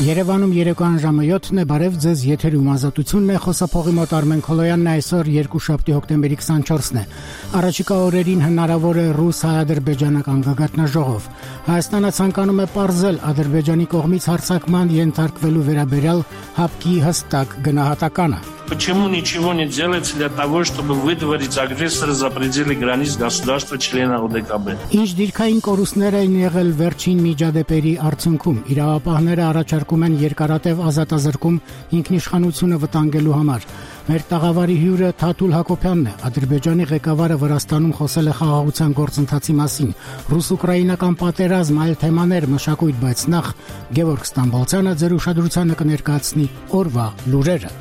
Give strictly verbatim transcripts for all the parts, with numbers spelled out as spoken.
Երևանում երեկոյան ժամը յոթն է, բարև ձեզ, եթերում ազատությունն է, խոսափողի մոտ Արմեն Քոլոյանն է, այսօր երկուշաբթի հոկտեմբերի քսանչորսն է։ Առաջիկա օրերին հնարավոր է ռուս-հայ-ադրբեջանական գագաթնաժողով։ Հայաստանը ցանկանում է պարզել Ադրբեջանի կողմից հարձակման ենթարկվելու վերաբերյալ ՀԱՊԿ-ի հստակ գնահատականը։ Почему ничего не делается для того, чтобы выдворить агрессора за пределы границ государства-члена ОДКБ? Ինչ դիրքային կորուստներ են եղել վերջին միջադեպերի արդյունքում։ Իրավապահները առաջարկում են երկարատև ազատազրկում ինքնիշխանությունը վտանգելու համար։ Մեր տաղավարի հյուրը Թաթուլ Հակոբյանն է։ Ադրբեջանի ղեկավարը Վրաստանում խոսել է խաղաղության գործընթացի մասին։ Ռուս-ուկրաինական պատերազմ, այլ թեմաներ, մշակույթ, բայց նախ Գևորգ Ստամբոլցյանը ձեր ուշադրությանը կներկայացնի օրվա լուրերը։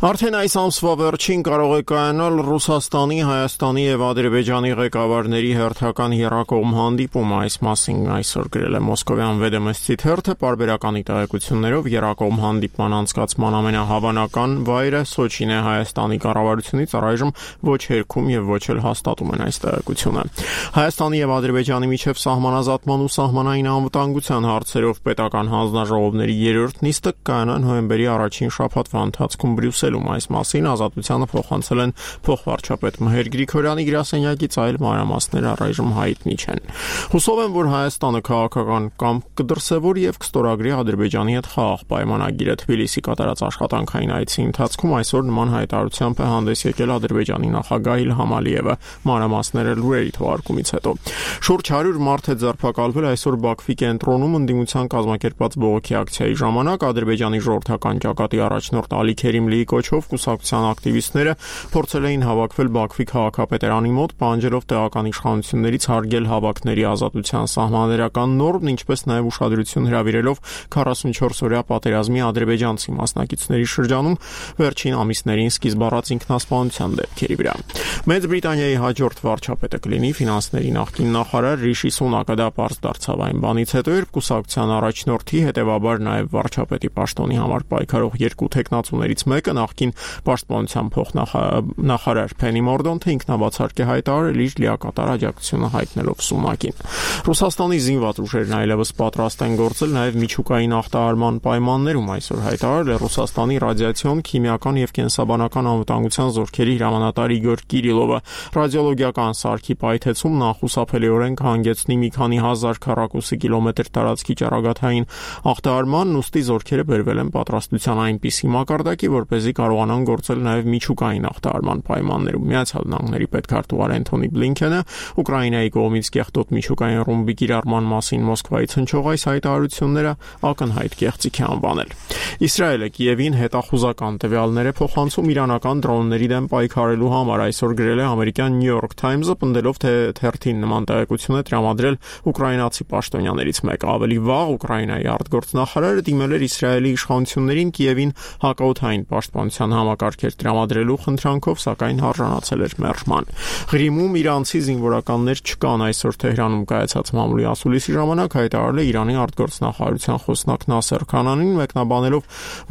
Արդեն այս ամսվա վերջին կարող է կայանալ Ռուսաստանի, Հայաստանի եւ Ադրբեջանի ղեկավարների հերթական եռակողմ հանդիպում, այս մասին այսօր գրել է Մոսկովյան Վեդոմստի թերթը, պարբերականի տեղեկություններով եռակողմ հանդիպման անցկացման ամենահավանական վայրը Սոչին է, Հայաստանի կառավարությունից առայժմ ոչ հերքում եւ ոչ էլ հաստատում են այս տեղեկությունը։ Հայաստանի եւ Ադրբեջանի միջև սահմանազատման ու սահմանային անվտանգության հարցերով պետական հանձնաժողովների երրորդ նիստը կայանա նոյեմբերի առաջին շաբաթվա ընթացքում Բրյուսել Այս մասին ազատությանը փոխանցել են փոխվարչապետ Մհեր Գրիգորյանի գրասենյակից, այլ մանրամասները առայժմ հայտնի չեն։ Հուսով եմ, որ Հայաստանը քաղաքական կամք կդրսևորի եւ կստորագրի Ադրբեջանի հետ խաղաղ պայմանագիրը։ Թբիլիսի կատարած աշխատանքային այցի ընթացքում այսօր նման հայտարարությամբ է հանդես եկել Ադրբեջանի նախագահ Իլհամ Ալիևը, մանրամասները լուրերի թողարկումից հետո։ Շուրջ հարյուր մարդ է ձերբակալվել այսօր Բաքվի կենտրոնում ընդդիմության կազմակերպած բողոքի ակցիայի ժամանակ։ Ադրբեջանի ժողովրդական ճակատի առաջնորդ Ալի Քերիմլիի կոչով կուսակցության ակտիվիստները փորձել էին հավաքվել Բաքվի քաղաքապետարանի մոտ, պահանջելով տեղական իշխանություններից հարգել հավաքների ազատության սահմանադրական նորմն, ինչպես նաև ուշադրություն հրավիրելով քառասունչորս օրյա պատերազմի ադրբեջանցի մասնակիցների շրջանում վերջին ամիսներին սկիզբ առած ինքնասպանության դեպքերի վրա։ Մեծ Բրիտանիայի հաջորդ վարչապետը կլինի ֆինանսների նախկին նախարար Ռիշի Սունակը, դա պարզ դարձավ այն բանից հետո, երբ կուսակցության առաջնորդի, հետևաբար նաև վարչապետի պաշտոնի համար պայքարող երկու թեկնածուներից մեկը նախկին պաշտպանության փոխնախարար Փենի Մորդոնթը ինքնաբացարկ է հայտարարել իր լիակատար աջակցությունը հայտնելով Սունակին։ Ռուսաստանի զինված ուժերն այլևս պատրաստ են գործել նաև միջուկային ախտահարման պայմաններում, այսօր հայտարարել է Ռուսաստանի ռադիացիոն, քիմիական եւ կենսաբանական անվտանգության զորքերի հրամանատար Իգոր Կիրիլովը։ Ռադիոլոգիական սարքի պայթեցում նախուսափելիորեն կհանգեցնի մի քանի հազար քառակուսի կիլոմետր տարածքի ճառագայթային ախտահարման, ուստի զորքերը բերվել են պատրաստության այնպիսի մակարդակի, որպեսզի կարողանան գործել նաև միջուկային ախտահարման պայմաններում։ Միացյալ Նահանգների պետքարտուղար Էնթոնի Բլինքենը Ուկրաինայի կողմից կեղտոտ միջուկային ռումբի կիրառման մասին Մոսկվայից հնչող այս հայտարարությունները ակնհայտ կեղծիք է անվանել։ Իսրայելը Կիևին հետախուզական տվյալներ է փոխանցում իրանական դրոնների դեմ պայքարելու համար, այսօր գրել է ամերիկյան New York Times-ը, պնդելով, թե թերթին նման տեղեկություն է տրամադրել ուկրաինացի պաշտոնյաներից մեկը։ Ավելի վաղ Ուկրաինայի արտգործնախարարը դիմել էր Իսրայելի իշխանություններին Կիևին հակաօդային պաշտպանության համակարգեր տրամադրելու խնդրանքով, սակայն արժանացել էր մերժման։ Ղրիմում իրանցի զինվորականներ չկան, այսօր Թեհրանում կայացած մամուլի ասուլիսի ժամանակ հայտարարել է Իրանի արտգործնախարարության խոսնակ Նասեր Քանանին, մեկնաբանելով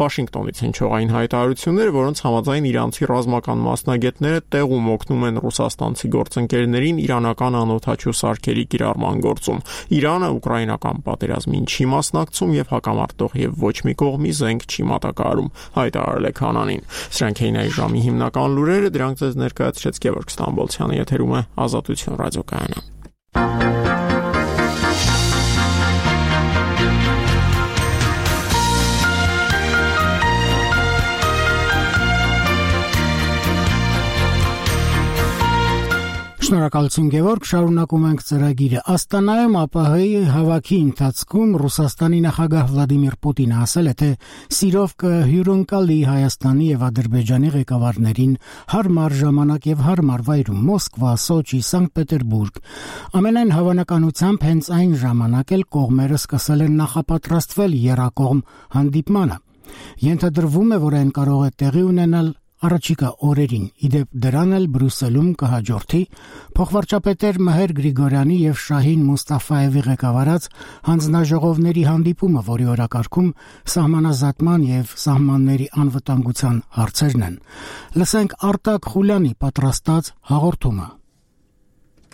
Վաշինգտոնից հնչող այն հայտարարությունները, որոնց համաձայն իրանցի ռազմական մասնագետները տեղում օգնում են ռուսաստանցի գործընկերներին իրանական անօդաչու սարքերի կիրառման գործում։ Իրանը ուկրաինական պատերազմին չի մասնակցում եւ հակամարտող եւ ոչ մի կողմի զենք չի մատակարարում, հայտարարել է Քանանին։ Սրանք էին այս ժամի հիմնական լուրերը, դրանք ձեզ ներկայացրեց Գևորգ Ստամբոլցյանը, եթերում է Ազատություն ռադիոկայանը։ Շնորհակալություն Գևորգ, շարունակում ենք ծրագիրը։ Աստանայում ԱՊՀ-ի հավաքի ընթացքում Ռուսաստանի նախագահ Վլադիմիր Պուտինը ասել է, թե սիրով կհյուրընկալի Հայաստանի եւ Ադրբեջանի ղեկավարներին հարմար ժամանակ եւ հարմար վայրում՝ Մոսկվա, Սոչի, Սանկտ Պետերբուրգ։ Ամենայն հավանականությամբ հենց այն ժամանակ էլ կողմերը սկսել են նախապատրաստվել եռակողմ հանդիպմանը։ Ենթադրվում է, որ այն կարող է տեղի ունենալ առաջիկա օրերին։ Իդեպ դրան էլ Բրյուսելում կհաջորդի փոխվարչապետեր Մհեր Գրիգորյանի եւ Շահին Մուստաֆայևի ղեկավարած հանձնաժողովների հանդիպումը, որի օրակարգում սահմանազատման եւ սահմանների անվտանգության հարցերն են։ Լսենք Արտակ Խուլյանի պատրաստած հաղորդումը։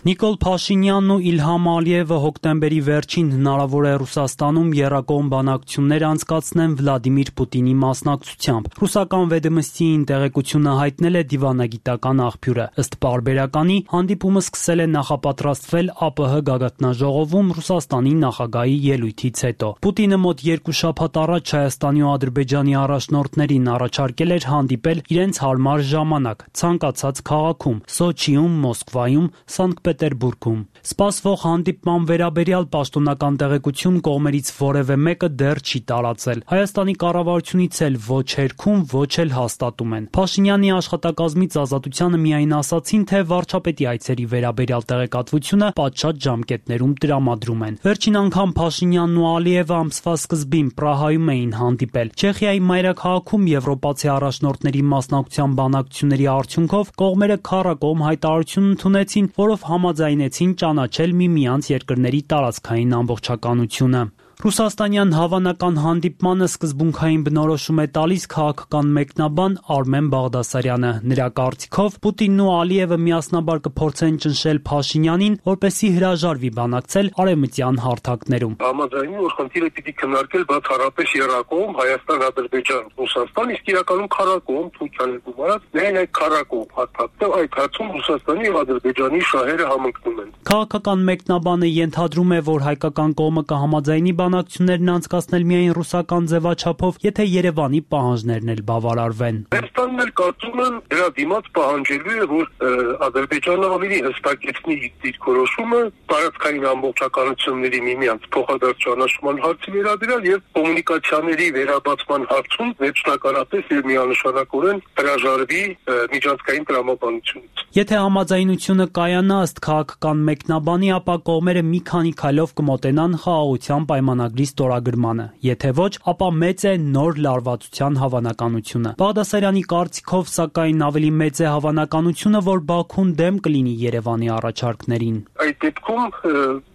Նիկոլ Փաշինյանն ու Իլհամ Ալիևը հոկտեմբերի վերջին հնարավոր է Ռուսաստանում եռակողմ բանակցություններ անցկացնեն Վլադիմիր Պուտինի մասնակցությամբ։ Ռուսական Վեդոմստիին տեղեկությունը հայտնել է դիվանագիտական աղբյուրը։ Ըստ պարբերականի, հանդիպումը սկսել է նախապատրաստվել ԱՊՀ գագաթնաժողովում Ռուսաստանի նախագահի ելույթից հետո։ Պուտինը մոտ երկու շաբաթ առաջ Հայաստանի ու Ադրբեջանի առաջնորդներին առաջարկել էր հանդիպել իրենց հարմար ժամանակ ցանկացած քաղաքում՝ Սոչիում, Մոսկվայում, Սանկտ Պետերբուրգում։ Սպասվող հանդիպման վերաբերյալ պաշտոնական տեղեկություն կողմերից որևէ մեկը դեռ չի տարածել։ Հայաստանի կառավարությունից էլ ոչ հերքում, ոչ էլ հաստատում են։ Փաշինյանի աշխատակազմից Ազատությանը միայն ասացին, թե վարչապետի այցերի վերաբերյալ տեղեկատվությունը պատշաճ ժամկետներում տրամադրում են։ Վերջին անգամ Փաշինյանն ու Ալիևը ամսվա սկզբին Պրահայում էին հանդիպել։ Չեխիայի մայրաքաղաքում եվրոպացի առաջնորդների մասնակցության բանակցությունների արդյունքով կողմերը քառակողմ հայտարարություն ընդունեցին, որով համաձայնեցին ճանաչել միմյանց երկրների տարածքային ամբողջականությունը։ Ռուսաստանյան հավանական հանդիպմանը սկզբունքային բնորոշում է տալիս քաղաքական մեկնաբան Արմեն Բաղդասարյանը։ Նրա կարծիքով Պուտինն ու Ալիևը միասնաբար կփորձեն ճնշել Փաշինյանին, որպեսզի հրաժարվի բանակցել արևմտյան հարթակներում։ Համաձայնի, որ խնդիրը պիտի քննարկել բացառապես եռակողմ Հայաստան-Ադրբեջան, Ռուսաստան, իսկ իրականում քառակողմ Թուրքիան ու Մարած, միայն այդ քառակողմ հարթակը այդ հարցում Ռուսաստանի եւ Ադրբեջանի շահերը համընկնում են։ Քաղաքական մեկնաբանը ենթադրում է, որ հայկական կողմը կհամաձայնի բանակցություններն անցկացնել միայն ռուսական ձևաչափով, եթե Երևանի պահանջներն էլ բավարարվեն։ Հայաստանն էլ կարծում եմ դրա դիմաց պահանջելու է, որ Ադրբեջանը ավելի հստակեցնի իր որոշումը տարածքային ամբողջականությունների միմյանց փոխադարձ ճանաչման հարցի վերաբերյալ եւ կոմունիկացիաների վերաբացման հարցում վերջնականապես եւ միանշանակորեն հրաժարվի միջազգային տրամաբանությունից։ Եթե համաձայնությունը կայանա ըստ քաղաքական մեկնաբանի, ապա կողմերը մի քանի քայլով կմոտենան խաղաղության պայմանագրի ստորագրմանը։ Եթե ոչ, ապա մեծ է նոր լարվածության հավանականությունը։ Բաղդասարյանի կարծիքով, սակայն ավելի մեծ է հավանականությունը, որ Բաքուն դեմ կլինի Երևանի առաջարկներին։ Այդ դեպքում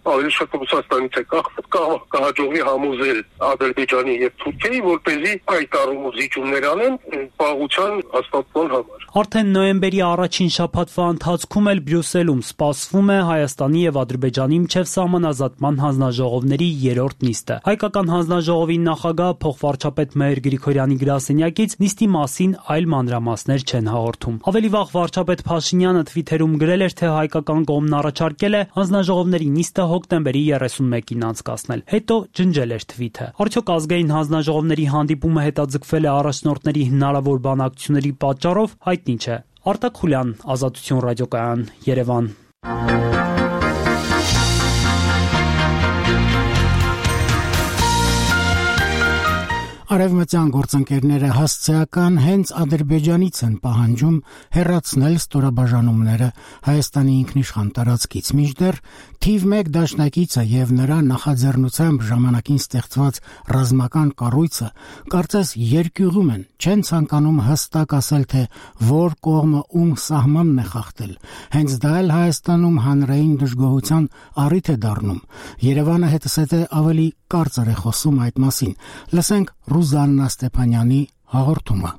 ավելի շատ Ռուսաստանից է կախված կհաջողվի համոզել Ադրբեջանի եւ Թուրքիայի, որպեսզի այդ առումով զիջումներ անեն պաղության հաստատման համար։ Արդեն նոյեմբերի առաջին շաբաթվա ընթացքում էլ Բրյուսելում սպասվում է Հայաստանի եւ Ադրբեջանի միջև սահմանազատման հանձնաժողովների երրորդ նիստը։ Հայկական հանձնաժողովի նախագահ փոխվարչապետ Մհեր Գրիգորյանի գրասենյակից նիստի մասին այլ մանրամասներ չեն հաղորդում։ Ավելի վաղ վարչապետ Փաշինյանը Twitter-ում գրել էր, թե հայկական կողմն առաջարկել է հանձնաժողովների նիստը հոկտեմբերի երեսունմեկին անցկացնել։ Հետո ջնջել էր թվիթը։ Արդյոք ազգային հանձնաժողովների հանդիպումը հետաձգվել է առաջնորդների հնարավոր բանակցությունների պատճառով, հայտնի չէ։ Արտակ Խուլյան, Ազատություն ռադիոկայան, Երևան։ Արևմտյան գործընկերները հասցեական հենց Ադրբեջանից են պահանջում հեռացնել ստորաբաժանումները Հայաստանի ինքնիշխան տարածքից, մինչդեռ թիվ մեկ դաշնակիցը եւ նրա նախաձեռնությամբ ժամանակին ստեղծված ռազմական կառույցը կարծես երկյուղում են, չեն ցանկանում հստակ ասել, թե որ կողմը ում սահմանն է խախտել։ Հենց դա էլ Հայաստանում հանրային դժգոհության առիթ է դառնում։ Երևանը հետսեթե ավելի կարծր է խոսում այդ մասին։ Լսենք Ռուզաննա Ստեփանյանի հաղորդումը։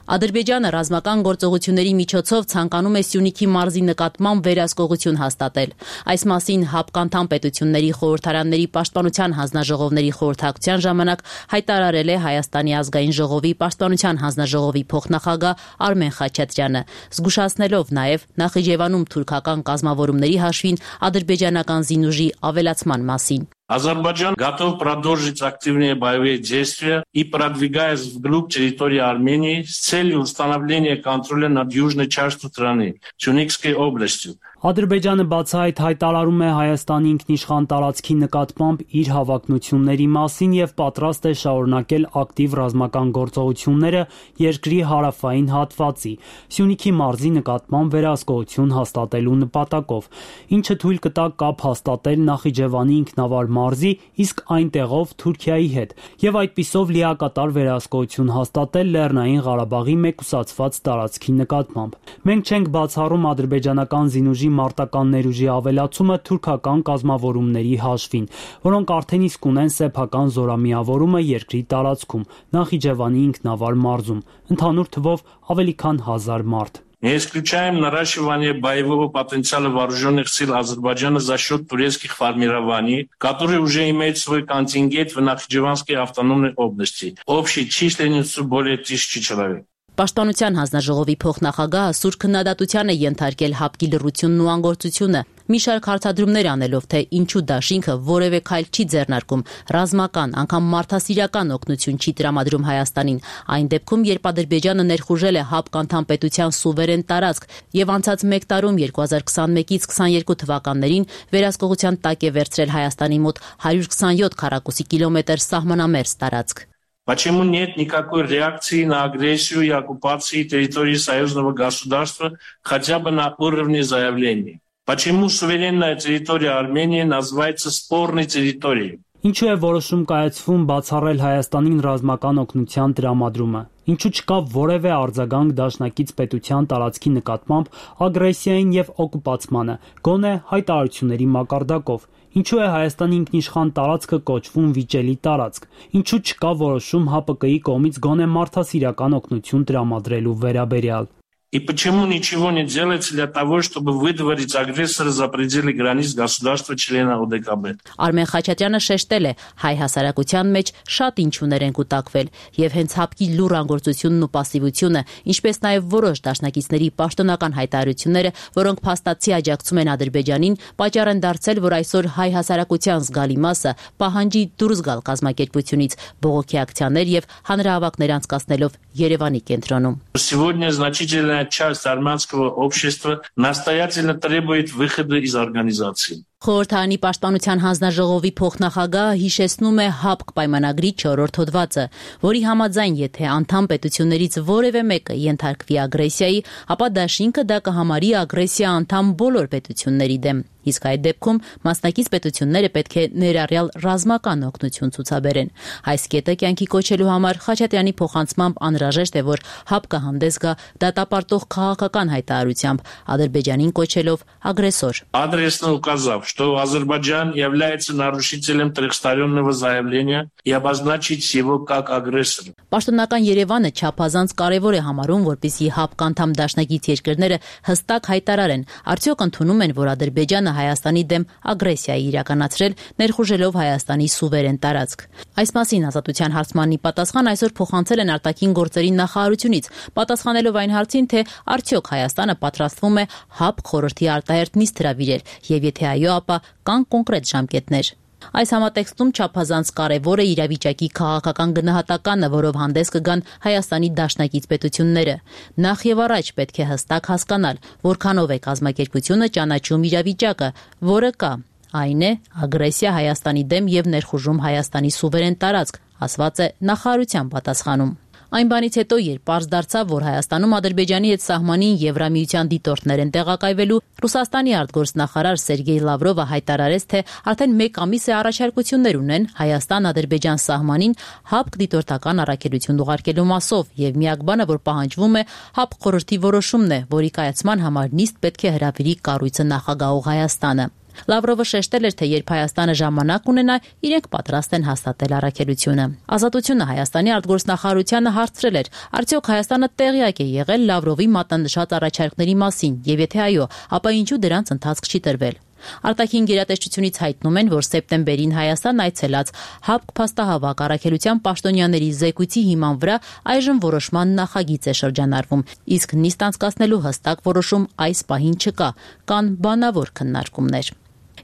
Ադրբեջանը ռազմական գործողությունների միջոցով ցանկանում է Սյունիքի մարզի նկատմամբ վերահսկողություն հաստատել։ Այս մասին հապկանդամ պետությունների խորհրդարանների պաշտպանության հանձնաժողովների խորհրդակցության ժամանակ հայտարարել է Հայաստանի ազգային ժողովի պաշտպանության հանձնաժողովի փոխնախագահ Արմեն Խաչատրյանը, զգուշացնելով նաև Նախիջևանում թուրքական կազմավորումների հաշվին ադրբեջանական զինուժի ավելացման մասին։ Азербайджан готов продолжить активные боевые действия и продвигаясь вглубь территории Армении с целью установления контроля над южной частью страны, Сюникской областью. Ադրբեջանը բացահայտ հայտարարում է Հայաստանի ինքնիշխան տարածքի նկատմամբ իր հավակնությունների մասին եւ պատրաստ է շարունակել ակտիվ ռազմական գործողությունները երկրի հարավային հատվածի, Սյունիքի մարզի նկատմամբ վերահսկողություն հաստատելու նպատակով, ինչը թույլ կտա կապ հաստատել Նախիջևանի ինքնավար մարզի, իսկ այնտեղով Թուրքիայի հետ, եւ այդպիսով լիակատար վերահսկողություն հաստատել Լեռնային Ղարաբաղի մեկուսացված տարածքի նկատմամբ։ Մենք չենք բացառում ադրբեջանական զինուժի մարտական ներուժի ավելացումը թուրքական կազմավորումների հաշվին, որոնք արդեն իսկ ունեն սեփական զորամիավորումը երկրի տարածքում, Նախիջևանի ինքնավար մարզում, ընդհանուր թվով ավելի քան հազար մարդ։ Не исключаем наращивание боевого потенциала вооруженных сил Азербайджана за счет турецких формирований, которые уже имеют свой контингент в Нахичеванской автономной области, общей численностью более тысячи человек. Պաշտպանության հանձնաժողովի փոխնախագահը սուր քննադատության է ենթարկել ՀԱՊԿ-ի լռությունն ու անգործությունը, մի շարք հարցադրումներ անելով, թե ինչու դաշինքը որևէ քայլ չի ձեռնարկում, ռազմական, անգամ մարդասիրական օգնություն չի տրամադրում Հայաստանին, այն դեպքում, երբ Ադրբեջանը ներխուժել է ՀԱՊԿ անդամ պետության սուվերեն տարածք եւ անցած մեկ տարում երկու հազար քսանմեկից քսաներկու թվականներին վերահսկողության տակ է վերցրել Հայաստանի մոտ հարյուր քսանյոթ քառակուսի կիլոմետր սահմանամերձ տարածք։ Почему нет никакой реакции на агрессию и оккупацию территории союзного государства хотя бы на уровне заявлений? Почему суверенная территория Армении называется спорной территорией? Ինչու է որոշում կայացվում բացառել Հայաստանին ռազմական օգնության տրամադրումը? Ինչու չկա որևէ արձագանք դաշնակից պետության տարածքի նկատմամբ ագրեսիային եւ օկուպացմանը, գոնե հայտարարությունների մակարդակով? Ինչու է Հայաստանի ինքնիշխան տարածքը кочվում վիճելի տարածք? Ինչու չկա որոշում ՀԱՊԿ-ի կողմից գոնե մարդասիրական օգնություն տրամադրելու վերաբերյալ? И почему ничего не делается для того, чтобы выдворить агрессора за пределы границ государства-члена ОДКБ? Արմեն Խաչատրյանը շեշտել է, հայ հասարակության մեջ շատ ինչուներ են կուտակվել, եւ հենց ՀԱՊԿ-ի լուր անգործությունն ու пассивությունը, ինչպես նաեւ որոշ դաշնակիցների պաշտոնական հայտարարությունները, որոնք փաստացի աջակցում են Ադրբեջանին, պատճառ են դարձել, որ այսօր հայ հասարակության զգալի մասը պահանջի դուրս գալ կազմակերպությունից, բողոքի ակցիաներ եւ հանրահավաքներ անցկացնելով Երևանի կենտրոնում։ Сегодня значительная часть армянского общества настоятельно требует выхода из организации. Խորհրդարանի պաշտպանության հանձնաժողովի փոխնախագահը հիշեցնում է ՀԱՊԿ պայմանագրի չորրորդ հոդվածը, որի համաձայն, եթե անդամ պետություններից որևէ մեկը ենթարկվի ագրեսիայի, ապա դաշինքը դա կհամարի ագրեսիա անդամ բոլոր պետությունների դեմ։ Իսկ այդ դեպքում մասնակից պետությունները պետք է ներառյալ ռազմական օգնություն ցուցաբերեն։ Այս կետը կյանքի кочելու համար Խաչատրյանի փոխանցմամբ անհրաժեշտ է, որ ՀԱՊԿ-ը հանդես գա դատապարտող քաղաքական հայտարարությամբ, Ադրբեջանին կոչելով ագրեսոր։ Адресно указав, что Азербайджан является нарушителем трехстороннего заявления и обозначить его как агрессора. Պաշտոնական Երևանը չափազանց կարևոր է համարում, որպեսզի ՀԱՊԿ անդամ դաշնակից երկրները հստակ հայտարարեն, արդյոք ընդունում են, որ Ադրբեջանը Հայաստանի դեմ ագրեսիա է իրականացրել, ներխուժելով Հայաստանի սուվերեն տարածք։ Այս մասին Ազատության հարցմանի պատասխան այսօր փոխանցել են արտաքին գործերի նախարարությունից, պատասխանելով այն հարցին, թե արդյոք Հայաստանը պատրաստվում է ՀԱՊԿ խորհրդի արտահերթ նիստ հրավիրել, եւ եթե այո, ապա կան կոնկրետ ժամկետներ։ Այս համատեքստում չափազանց կարևոր է իրավիճակի քաղաքական գնահատականը, որով հանդես կգան Հայաստանի դաշնակից պետությունները։ Նախ եւ առաջ պետք է հստակ հասկանալ, որքանով է կազմակերպությունը ճանաչում իրավիճակը, որը կա, այն է ագրեսիա Հայաստանի դեմ եւ ներխուժում Հայաստանի սուվերեն տարածք, ասված է նախարարության պատասխանում։ Այն բանից հետո, երբ պարզ դարձավ, որ Հայաստանում Ադրբեջանի հետ սահմանին Եվրամիության դիտորդներ են տեղակայվելու, Ռուսաստանի արտգործնախարար Սերգեյ Լավրովը հայտարարեց, թե արդեն մեկ ամիս է առաջարկություններ ունեն Հայաստան-Ադրբեջան սահմանին ՀԱՊԿ դիտորդական առաքելություն ուղարկելու մասով, եւ միակ բանը, որ պահանջվում է, ՀԱՊԿ խորհրդի որոշումն է, որի կայացման համար նիստ պետք է հրավիրի կառույցը նախագահող Հայաստանը։ Լավրովը շեշտել էր, թե երբ Հայաստանը ժամանակ ունենա, իրենք պատրաստ են հաստատել առաքելությունը։ Ազատությունը Հայաստանի արտգործնախարարությանը հարցրել էր, արդյոք Հայաստանը տեղյակ է եղել Լավրովի մատնանշած առաջարկների մասին, եւ եթե այո, ապա ինչու դրանց ընթացք չի տրվել։ Արտաքին գերատեսչությունից հայտնում են, որ սեպտեմբերին Հայաստան այցելած ՀԱՊԿ փաստահավաք առաքելության պաշտոնյաների զեկույցի հիման վրա այժմ որոշման նախագիծ է շրջանառվում, իսկ նիստ անցկացնելու հստակ որոշում այս պահին չկա, կան բանավոր քննարկումներ։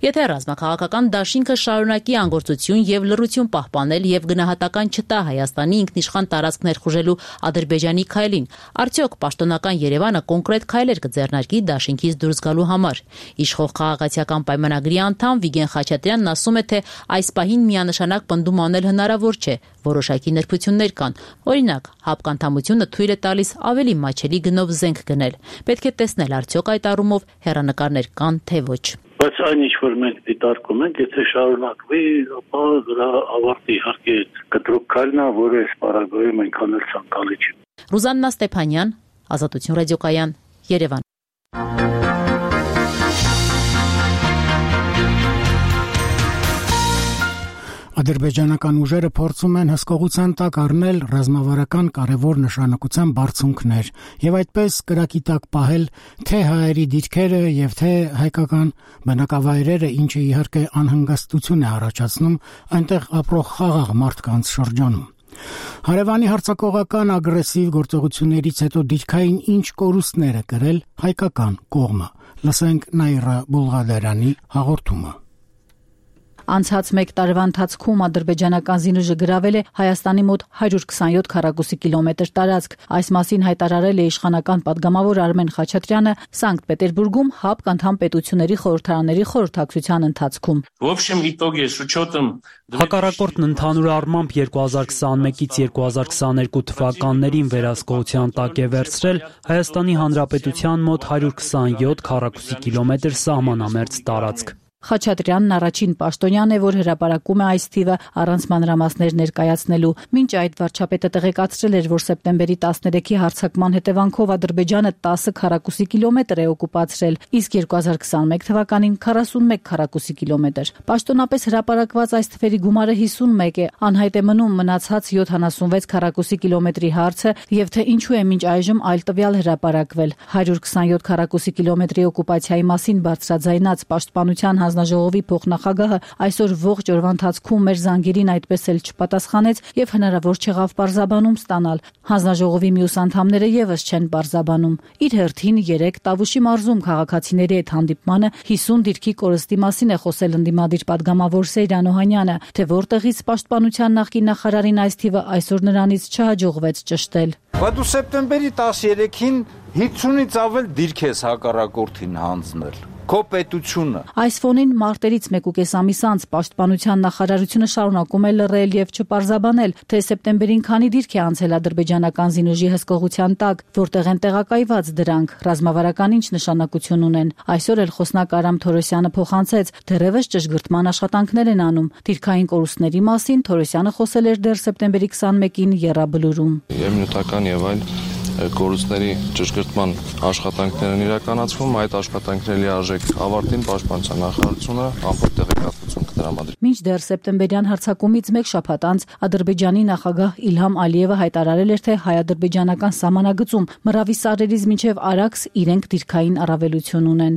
Եթե ռազմաքաղաքական դաշինքը շարունակի անգործություն եւ լռություն պահպանել եւ գնահատական չտա Հայաստանի ինքնիշխան տարածք ներխուժելու Ադրբեջանի քայլին, արդյոք պաշտոնական Երևանը կոնկրետ քայլեր կձեռնարկի դաշինքից դուրս գալու համար։ Իշխող քաղաքացիական պայմանագրի անդամ Վիգեն Խաչատրյանն ասում է, թե այս պահին միանշանակ պնդում անել հնարավոր չէ, որոշակի նրբություններ կան։ Օրինակ, ՀԱՊԿ անդամությունը թույլ է տալիս ավելի մաչելի գնով զենք գնել։ Պետք է տեսնել, արդյոք այդ առումով հեռանկարներ կան, թե ոչ։ Բայց այն ինչ որ մենք դիտարկում ենք, եթե շարունակվի, ապա դրա ավարտը իհարկե կտրուկ քայլն է, որը այս պարագայում այնքան էլ ցանկալի չի։ Ռուզաննա Ստեփանյան, Ազատություն ռադիոկայան, Երևան։ Ադրբեջանական ուժերը փորձում են հսկողության տակ առնել ռազմավարական կարևոր նշանակության բարձունքներ եւ այդպես կրակի տակ պահել թե հայերի դիրքերը եւ թե հայկական բնակավայրերը, ինչը իհարկե անհանգստություն է առաջացնում այնտեղ ապրող խաղաղ մարդկանց շրջանում։ Հարևանի հարձակողական ագրեսիվ գործողություններից հետո դիրքային ինչ կորուստներ է կրել հայկական կողմը։ Լսենք Նաիրա Բուլղադարյանի հաղորդումը։ Անցած մեկ տարվա ընթացքում ադրբեջանական զինուժը գրավել է Հայաստանի մոտ հարյուր քսաներորդ քառակուսի կիլոմետր տարածք։ Այս մասին հայտարարել է իշխանական падգամավոր Արմեն Խաչատրյանը Սանկտ Պետերբուրգում ՀԱՊԿ անդամ պետությունների խորհրդարանների խորհրդակցության ընթացքում։ Հակառակորդն ընդհանուր առմամբ երկու հազար քսաներկուից երկու հազար քսաներկու թվականներին վերահսկողության տակ է վերցրել Հայաստանի Հանրապետության մոտ հարյուր քսաներորդ քառակուսի կիլոմետր սահմանամերձ տարածք։ Խաչատրյանն առաջին պաշտոնյան է, որ հրապարակում է այս թիվը առանց մանրամասներ ներկայացնելու։ Մինչ այդ վարչապետը տեղեկացրել էր, որ սեպտեմբերի տասներեքի հարձակման հետևանքով Ադրբեջանը տասը քառակուսի կիլոմետր է օկուպացրել, իսկ երկու հազար քսաներկու թվականին քառասունմեկ քառակուսի կիլոմետր։ Պաշտոնապես հրապարակված այս թվերի գումարը հիսունմեկ է, անհայտ է մնում մնացած յոթանասունվեց քառակուսի կիլոմետրի հարցը եւ թե ինչու է մինչ այժմ այլ տվյալ հրապարակվել։ հարյուր քսաներորդ քառակուսի կիլոմետրի օկուպացիայի մասին բարձրաձայնած պաշտպանության հանձնաժողովի փոխնախագահը այսօր ողջ օրվա ընթացքում մեր զանգերին այդպես էլ չպատասխանեց եւ հնարավոր չեղավ պարզաբանում ստանալ։ Հանձնաժողովի մյուս անդամները եւս չեն պարզաբանում։ Իր հերթին երեք Տավուշի մարզում քաղաքացիների հետ հանդիպմանը հիսուն դիրքի կորստի մասին է խոսել ընդդիմադիր падգամավոր Սեյրան Օհանյանը, թե որտեղից պաշտպանության նախկին նախարարին այս թիվը այսօր նրանից չհաջողվեց ճշտել։ Բայց սեպտեմբերի տասներեքին հինգսունից ավել դիրք ես հակառակորդին հանձնել։ Քո պետությունը։ Այս ֆոնին մարտերից մեկուկես ամիս անց պաշտպանության նախարարությունը շարունակում է լռել եւ չպարզաբանել, թե սեպտեմբերին քանի դիրք է անցել ադրբեջանական զինուժի հսկողության տակ, որտեղ են տեղակայված դրանք, ռազմավարական ինչ նշանակություն ունեն։ Այսօր էլ խոսնակ Արամ Թորոսյանը փոխանցեց, դեռևս ճշգրտման աշխատանքներ են անում։ Դիրքային կորուստների մասին Թորոսյանը խոսել էր դեռ սեպտեմբերի քսաներեքին եռաբլուրում։ Եվ նյութական եւ այլ կորուստների ճշգրտման աշխատանքներ են իրականացվում, այդ աշխատանքների արժեք ավարտին պաշտպանության նախարարությունը ամբողջ տեղեկատվություն կտրամադրի։ Մինչդեռ սեպտեմբերյան հարձակումից մեկ շաբաթ անց Ադրբեջանի նախագահ Իլհամ Ալիևը հայտարարել էր, թե հայ-ադրբեջանական սահմանագծում Մռավի սարերից մինչև Արաքս իրենք դիրքային առավելություն ունեն։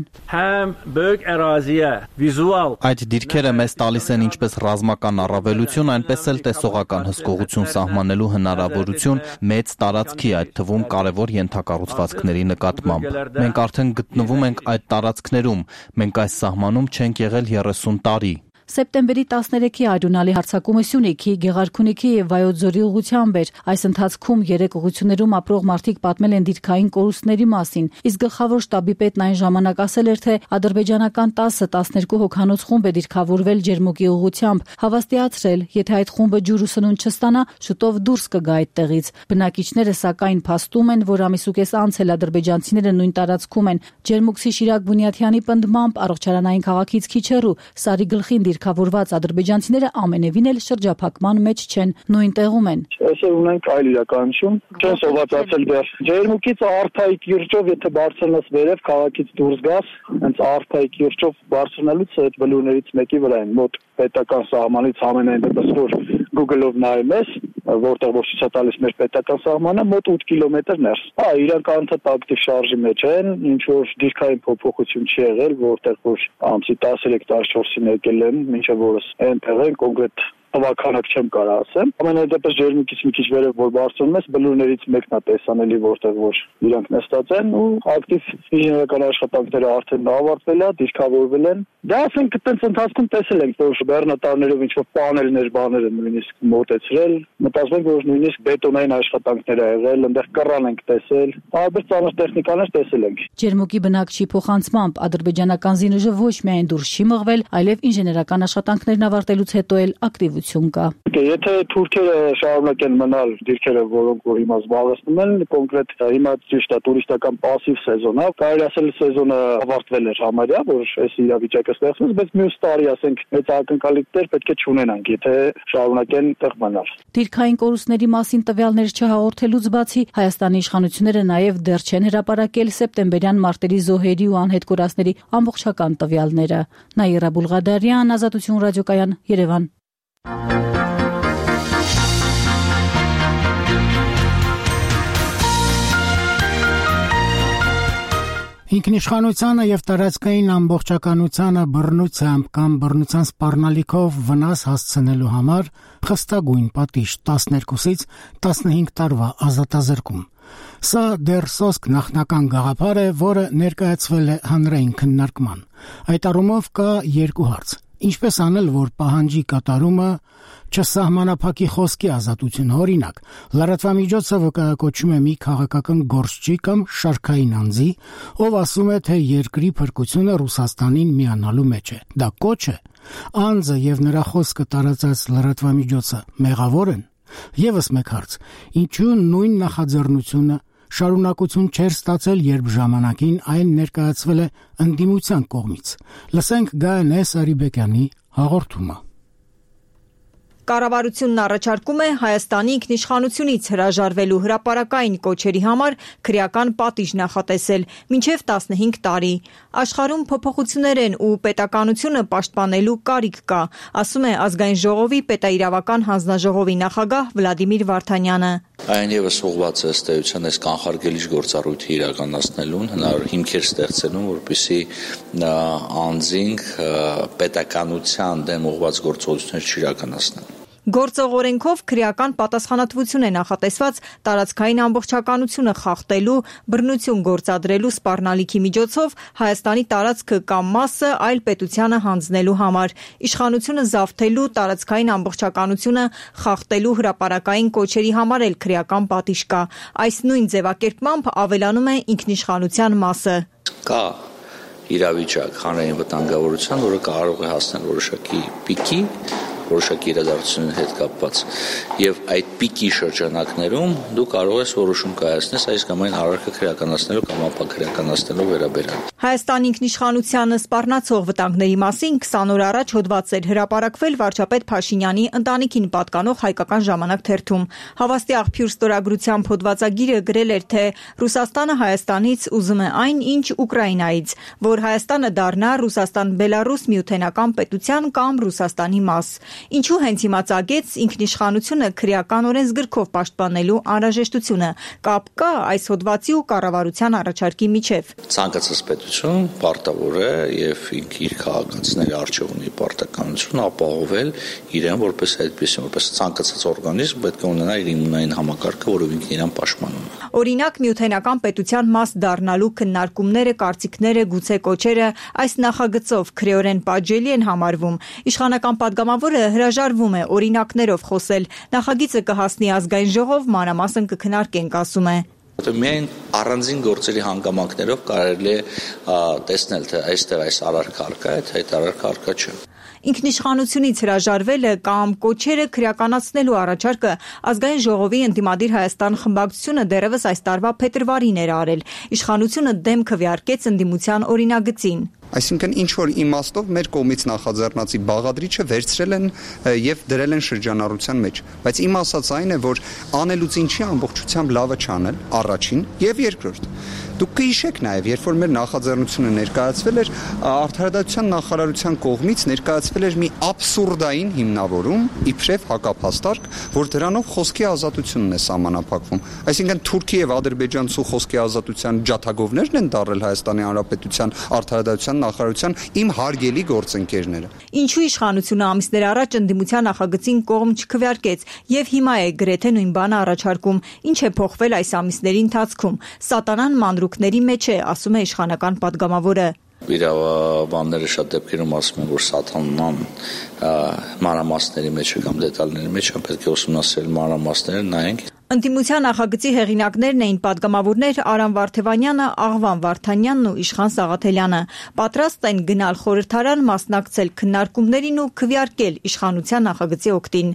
Այդ դիրքերը մեզ տալիս են ինչպես ռազմական առավելություն, այնպես էլ տեսողական հսկողություն սահմանելու հնարավորություն մեծ տարածքի, այդ թվում կարևոր ենթակառուցվածքների նկատմամբ։ Մենք արդեն գտնվում ենք այդ տարածքներում, մենք այս սահմանում չենք եղել երեսուն տարի։ Սեպտեմբերի տասներեքի արյունալի հարձակումը Սյունիքի, Գեղարքունիքի եւ Վայոց-Ձորի ուղղությամբ էր։ Այս ընթացքում երեք ուղղություններում ապրող մարդիկ պատմել են դիրքային կորուստների մասին, իսկ գլխավոր շտաբի պետն այն ժամանակ ասել էր, թե ադրբեջանական տասը տասներկու հոգանոց խումբ է դիրքավորվել Ջերմուկի ուղղությամբ, հավաստիացրել, եթե այդ խումբը ջուր ու սնունդ չստանա, շուտով դուրս կգա այդտեղից։ Բնակիչները սակայն փաստում են, որ ամիսուկես անց էլ ադրբեջանցիները նույն տարածքում են։ Ջերմուկցի Շիրակ Բունյաթյանի պնդմամբ առողջարանային քաղաքից քիչ հեռու Սարի գլխին դիրքավորված ադրբեջանցիները ամենևին էլ շրջափակման մեջ չեն, նույն տեղում են։ Այսօր ունենք այլ իրականություն, չեն սովածացել դեռ։ Ջերմուկից Արթայի կիրճով, եթե բարձրանաս վերև, քաղաքից դուրս գաս, հենց Արթայի կիրճով բարձրանալուց այդ բլուրներից մեկի վրա են, մոտ պետական սահմանից ամենայն դեպս որ Google-ով նայում ես, որտեղ որ ցույց է տալիս մեր պետական սահմանը, մոտ ութ կիլոմետր ներս։ Հա, իրանք անընդհատ ակտիվ շարժի մեջ են, ինչ որ դիրքային փոփոխություն չի եղել, որտեղ որ ամսի տասներեք տասնչորսին եկել են, մինչև օրս այնտեղ են կոնկրետ Տվականակ չեմ կարող ասեմ։ Ամենայդեպս Ջերմուկից մի քիչ վերև որ բարձրանում ես, բլուրներից մեկն է տեսանելի, որտեղ որ իրանք նստած են ու ակտիվ ինժեներական աշխատանքները արդեն ավարտվել է, դիրքավորվել են։ Դա ասենք այդպես ընթացքում տեսել ենք, որ բեռնատարներով ինչ որ պանելներ, բաներ են նույնիսկ մոտեցրել։ Մտածում ենք, որ նույնիսկ բետոնային աշխատանքներ ա եղել, այնտեղ կռան ենք տեսել, տարբեր ծանր տեխնիկաներ տեսել ենք։ Ջերմուկի բնակչի փոխանցմամբ ադրբեջանական զինուժը ոչ միայն դուրս չի մղվել, այլև ինժեներական աշխատանքներն ավարտելուց հետո էլ ակտիվ կա։ Եթե թուրքերը շարունակեն մնալ դիրքերը, որոնք որ հիմա զբաղեցնում են, կոնկրետ հիմա ճիշտ է տուրիստական пассив սեզոն է, կարելի ասել սեզոնը ավարտվել էր համարյա, որ այս իրավիճակը ստեղծվեց, բայց մյուս տարի ասենք մեծ ակնկալիքներ պետք է չունենանք, եթե շարունակեն տեղ մնալ։ Դիրքային կորուստների մասին տվյալներ չհաղորդելուց բացի Հայաստանի իշխանությունները նաև դեռ չեն հրապարակել սեպտեմբերյան մարտերի զոհերի ու անհետ կորածների ամբողջական տվյալները։ Նաիրա Բուլղադարյան, Ազատություն ռադիոկայան, Երևան։ Ինքնիշխանությանը եւ տարածքային ամբողջականությանը բռնությամբ կամ բռնության սպառնալիքով վնաս հասցնելու համար խստագույն պատիժ տասներկուսից տասնհինգ տարվա ազատազրկում։ Սա դեռ սոսկ նախնական գաղափար է, որը ներկայացվել է հանրային քննարկման։ Այդ առումով կա երկու հարց. ինչպես անել, որ պահանջի կատարումը չսահմանափակի խոսքի ազատությունը, օրինակ, լրատվամիջոցը վկայակոչում է մի քաղաքական գործչի կամ շարքային անձի, ով ասում է, թե երկրի փրկությունը Ռուսաստանին միանալու մեջ է։ Դա կոչ է։ Անձը եւ նրա խոսքը տարածած լրատվամիջոցը մեղավոր են։ Եվս մեկ հարց. ինչու նույն նախաձեռնությունը շարունակություն չէր ստացել, երբ ժամանակին այն ներկայացվել է ընդդիմության կողմից։ Լսենք Գայանե Սարիբեկյանի հաղորդումը։ Կառավարությունն առաջարկում է Հայաստանի ինքնիշխանությունից հրաժարվելու հրապարակային կոչերի համար քրեական պատիժ նախատեսել մինչև տասնհինգ տարի։ Աշխարհում փոփոխություններ են ու պետականությունը պաշտպանելու կարիք կա, ասում է Ազգային ժողովի պետաիրավական հանձնաժողովի նախագահ Վլադիմիր Վարդանյանը։ Այն եւս ուղղված է ըստ էության այս կանխարգելիչ գործառույթի իրականացնելուն, հնարավոր հիմքեր ստեղծելուն, որպեսզի անձինք պետականության դեմ ուղղված գործողություններ չիրականացնեն։ Գործող օրենքով քրեական պատասխանատվություն է նախատեսված տարածքային ամբողջականությունը խախտելու, բռնություն գործադրելու սպառնալիքի միջոցով Հայաստանի տարածքը կամ մասը այլ պետությանը հանձնելու համար, իշխանությունը զավթելու, տարածքային ամբողջականությունը խախտելու հրապարակային կոչերի համար էլ քրեական պատիժ կա։ Այս նույն ձևակերպմամբ ավելանում է ինքնիշխանության մասը։ Կա իրավիճակ հանրային վտանգավորության, որը կարող է հասնել որոշակի պիկի, որոշակի իրադարձությունների հետ կապված, եւ այդ պիկի շրջանակներում դու կարող ես որոշում կայացնես այս կամ այն արարքը քրեականացնելու կամ ապաքրեականացնելու վերաբերյալ։ Հայաստանի ինքնիշխանությանը սպառնացող վտանգների մասին քսան օր առաջ հոդված էր հրապարակվել վարչապետ Փաշինյանի ընտանիքին պատկանող Հայկական ժամանակ թերթում։ Հավաստի աղբյուր ստորագրությամբ հոդվածագիրը գրել էր, թե Ռուսաստանը Հայաստանից ուզում է այն, ինչ Ուկրաինայից, որ Հայաստանը դառնա Ռուսաստան-Բելարուս միութենական պետության կամ Ռուսաստանի մաս։ Ինչու հենց հիմա ծագեց ինքնիշխանությունը քրեական օրենսգրքով պաշտպանելու անհրաժեշտությունը, կապ կա այս հոդվածի ու կառավարության առաջարկի միջև։ Ցանկացած պետություն պարտավոր է եւ ինքը իր քաղաքացիների առջեւ ունի պարտականություն ապահովել իրեն որպես այդպես, որպես ցանկացած օրգանիզմ պետք է ունենա իր իմունային համակարգը, որով ինքն իրեն պաշտպանում է։ Օրինակ միութենական պետության մաս դառնալու քննարկումները, կարծիքները, գուցե կոչերը այս նախագծով քրեորեն պատժելի են համարվում։ Իշխանական падգամավորը հրաժարվում է օրինակներով խոսել։ Նախագիծը կհասնի ազգային ժողով, մանրամասն կքննարկենք, ասում է։ Միայն առանձին գործերի հանգամանքներով կարելի է տեսնել, թե այստեղ այս արարքը արկա է, թե այդ արարքը արկա չէ։ Ինքնիշխանությունից հրաժարվելը կամ կոչերը քրեականացնելու առաջարկը ազգային ժողովի ընդդիմադիր Հայաստան խմբակցությունը դեռևս այս տարվա փետրվարին էր արել։ Իշխանությունը դեմ քվեարկեց ընդդիմության օրինագծին։ Այսինքն ինչ որ իմաստով մեր կողմից նախաձեռնածի բաղադրիչը վերցրել են եւ դրել են շրջանառության մեջ, բայց իմ ասած այն է, որ անելուց ինչի ամբողջությամբ լավը չանել, առաջին եւ երկրորդ։ Դուք կհիշեք նաեւ, երբ որ մեր նախաձեռնությունը ներկայացվել էր, Արդարադատության նախարարության կողմից ներկայացվել էր մի աբսուրդային հիմնավորում, իբրև հակափաստարկ, որ դրանով խոսքի ազատությունն է սահմանափակվում։ Այսինքն Թուրքի եւ Ադրբեջանցու խոսքի ազատության ջաթագովներն են դարել Հայաստանի Հանրապետության Արդարադատության նախարարության իմ հարգելի գործընկերները։ Ինչու իշխանությունը ամիսներ առաջ ընդդիմության նախագծին կողմ չքվեարկեց եւ հիմա է գրեթե նույն բանը առաջարկում։ Ինչ է փոխվել այս ամիսների ընթացքում։ Սատանան մանրուքների մեջ է, ասում է իշխանական падգամավորը։ Իրավաբանները շատ դեպքերում ասում են, որ սատանան մանրամասների մեջ է կամ դետալների մեջ է, պետք է ուսումնասիրել մանրամասները, նայենք։ Ընդդիմության նախագծի հեղինակներն էին падգամավորներ Արամ Վարդևանյանը, Աղվան Վարդանյանն ու Իշխան Սաղաթելյանը։ Պատրաստ են գնալ խորհրդարան, մասնակցել քննարկումներին ու քվեարկել իշխանության նախագծի օգտին։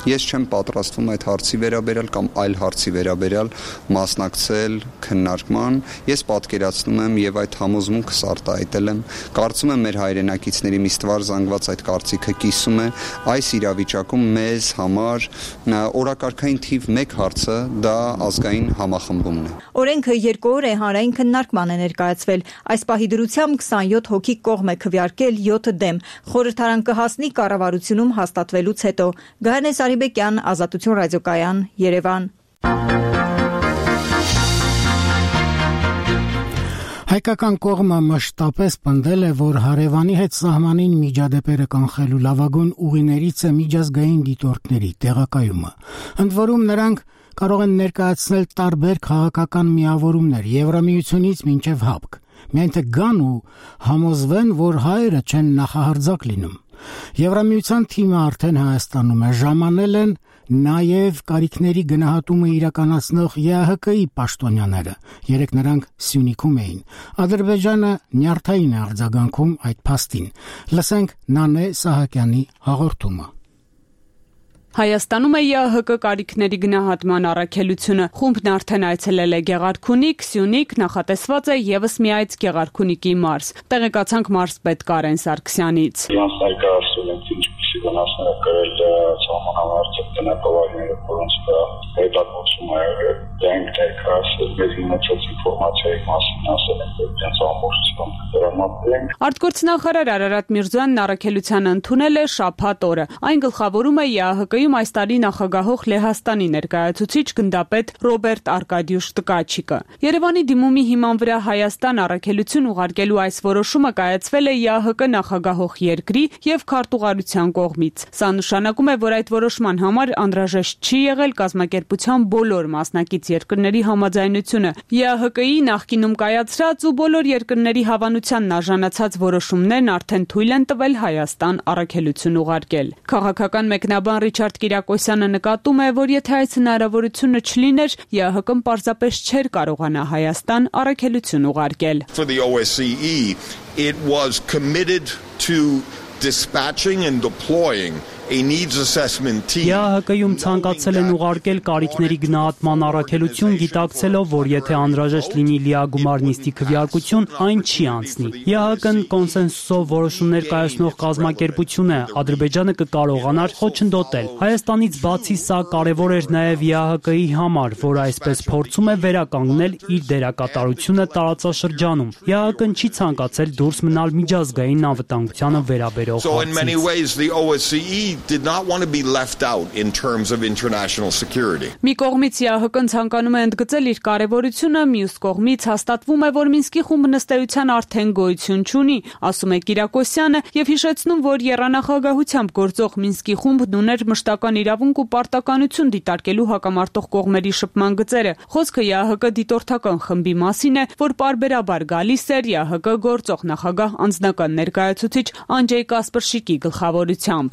Ես չեմ պատրաստվում այդ հարցի վերաբերյալ կամ այլ հարցի վերաբերյալ մասնակցել քննարկման։ Ես պատկերացնում եմ եւ այդ համոզմունքս արտահայտել եմ։ Կարծում եմ մեր հայրենակիցների մի ստվար զանգված այդ կարծիքը կիսում է։ Այս իրավիճակում մեզ համար օրակարգային թիվ մեկ հարցը դա ազգային համախմբումն է։ Օրենքը երկու օր է հանրային քննարկման է ներկայացվել։ Այս պահի դրությամբ քսանյոթ հոգի կողմ է քվեարկել յոթ դեմ։ Խորհրդարան կհասնի կառավարությունում հաստատվելուց հետո։ Գայանե Սարիբեկյան, Ազատություն ռադիոկայան, Երևան։ Հայկական կողմը մշտապես պնդել է, որ հարևանի հետ սահմանին միջադեպերը կանխելու լավագույն ուղիներից է միջազգային դիտորդների տեղակայումը։ Ընդ որում նրանք կարող են ներկայացնել տարբեր քաղաքական միավորումներ Եվրամիությունից մինչև ՀԱՊԿ։ Միայն թե գան ու համոզվեն, որ հայերը չեն նախահարձակ լինում։ Եվրամիության թիմը արդեն Հայաստանում է, ժամանել են նաև կարիքների գնահատումը իրականացնող ԵԱՀԿ-ի պաշտոնյաները։ Երեք նրանք Սյունիքում էին։ Ադրբեջանը նյարդային է արձագանքում այդ փաստին։ Լսենք Նանե Սահակյանի հաղորդումը։ Հայաստանում է ԵԱՀԿ կարիքների գնահատման առաքելությունը։ Խումբն արդեն այցելել է Գեղարքունիք, Սյունիք, նախատեսված է եւս մի այց Գեղարքունիքի մարզ։ Տեղեկացանք մարզպետ Կարեն Սարգսյանից։ Իրանց ներկայացրել են ինչպիսի վնասներ է կրել սահմանամարտիկ տնտեսավարները, որոնց հետագործում է դենք ներկայացել մեր ունեցած ինֆորմացիայի մասին, ասել են, որ դրանց ամբողջությամբ դրամատել են։ Արտգործնախարար Արարատ Միրզոյանն առաքելությանը ընդունել է շաբաթ օրը։ Այն գլխավորում է ԵԱՀԿ-ում այս տարի նախագահող Լեհաստանի ներկայացուցիչ գնդապետ Ռոբերտ Արկադիուշ Տկաչիկը։ Երևանի դիմումի հիման վրա Հայաստան առաքելություն ուղարկելու այս որոշումը կայացվել է ԵԱՀԿ նախագահող երկրի եւ քարտուղարության կողմից։ Սա նշանակում է, որ այդ որոշման համար անհրաժեշտ չի եղել կազմակերպության բոլոր մասնակից երկրների համաձայնությունը։ ԵԱՀԿ-ի նախկինում կայացրած ու բոլոր երկրների հավանությանն արժանացած որոշումներն արդեն թույլ են տվել Հայաստան առաքելություն ուղարկել։ Քաղաքական մեկնաբան Ռիչարդ Կիրակոսյանը նկատում է, որ եթե այս հնարավորությունը չլիներ, ԵԱՀԿ-ն պարզապես չէր կարողանա Հայաստան առաքելություն ուղարկել։ For the O S C E, it was committed to dispatching and deploying a needs assessment team. ԵԱՀԿ-ում ցանկացել են ուղարկել կարիքների գնահատման առաքելություն, գիտակցելով, որ եթե անհրաժեշտ լինի լիագումար նիստի քվեարկություն, այն չի անցնի։ ԵԱՀԿ-ն կոնսենսուսով որոշումներ կայացնող կազմակերպություն է, Ադրբեջանը կկարողանար խոչընդոտել։ Հայաստանից բացի սա կարևոր էր նաև ԵԱՀԿ-ի համար, որ այսպես փորձում է վերականգնել իր դերակատարությունը տարածաշրջանում։ ԵԱՀԿ-ն չի ցանկացել դուրս մնալ միջազգային անվտանգությանը վերաբերող So in many ways the O S C E did not want to be left out in terms of international security. Մի կողմից ԵԱՀԿ-ն ցանկանում է ընդգծել իր կարևորությունը, մյուս կողմից հաստատվում է, որ Մինսկի խումբ նստեյության արդեն գոյություն չունի, ասում է Կիրակոսյանը եւ հիշեցնում, որ եռանախագահությամբ գործող Մինսկի խումբն ուներ մշտական իրավունք ու պարտականություն դիտարկելու հակամարտող կողմերի շփման գծերը։ Խոսքը ԵԱՀԿ դիտորդական խմբի մասին է, որ պարբերաբար գալիս էր ԵԱՀԿ գործող նախագահ անձնական ներկայացուցիչ Անջեյ Կասպրշիկի գլխավորությամբ։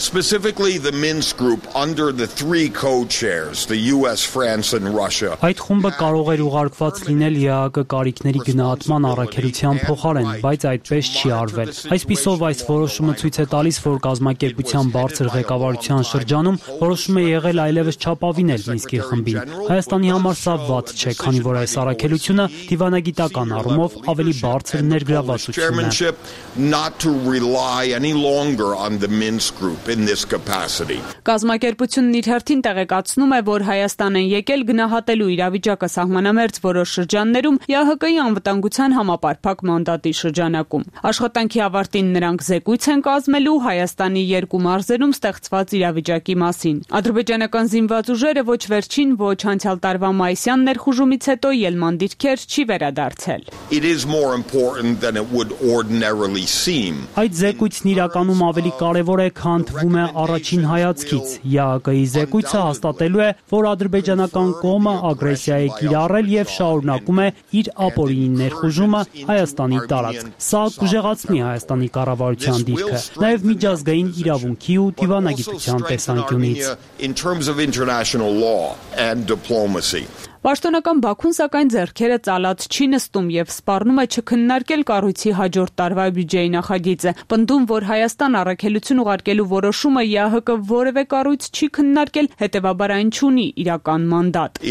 Specifically the Minsk group under the three co-chairs, the U S, France and Russia. Այդ խումբը կարող էր ուղարկված լինել ԵԱՀԿ կարիքների գնահատման առաքելության փոխարեն, բայց այդպես չի արվել։ Այսպիսով այս որոշումը ցույց է տալիս, որ կազմակերպության բարձր ղեկավարության շրջանում որոշում է եղել այլևս չապավինել Մինսկի խմբին։ Հայաստանի համար սա վատ չէ, քանի որ այս առաքելությունը դիվանագիտական առումով ավելի բարձր ներգրավվածություն է։ Not to rely any longer on the Minsk group in this capacity. Կազմակերպությունն իր հերթին տեղեկացնում է, որ Հայաստան են եկել գնահատելու իրավիճակը սահմանամերձ որոշ շրջաններում ԵԱՀԿ-ի անվտանգության համապարփակ մանդատի շրջանակում։ Աշխատանքի ավարտին նրանք զեկույց են կազմելու Հայաստանի երկու մարզերում ստեղծված իրավիճակի մասին։ Ադրբեջանական զինված ուժերը ոչ վերջին, ոչ անցյալ տարվա մայիսյան ներխուժումից հետո ելման դիրքեր չի վերադարձել։ It is more important than it would ordinarily seem. Այդ զեկույցն իրականում ավելի կարևոր է, քան թվում է առաջին հայացքից։ ԵԱՀԿ-ի զեկույցը հաստատելու է, որ ադրբեջանական կողմը ագրեսիա է կիրառել եւ շարունակում է իր ապօրինի ներխուժումը Հայաստանի տարածք։ Սա կուժեղացնի Հայաստանի կառավարության դիրքը, նաեւ միջազգային իրավունքի ու դիվանագիտության տեսանկյունից։ In terms of international law and diplomacy. Պաշտոնական Բաքուն սակայն ձեռքերը ծալած չի նստում եւ սպառնում է չքննարկել կառույցի հաջորդ տարվա բյուջեի նախագիծը, պնդում, որ Հայաստան առաքելություն ուղարկելու որոշումը ԵԱՀԿ որևէ կառույց չի քննարկել, հետեւաբար այն չունի իրական մանդատ։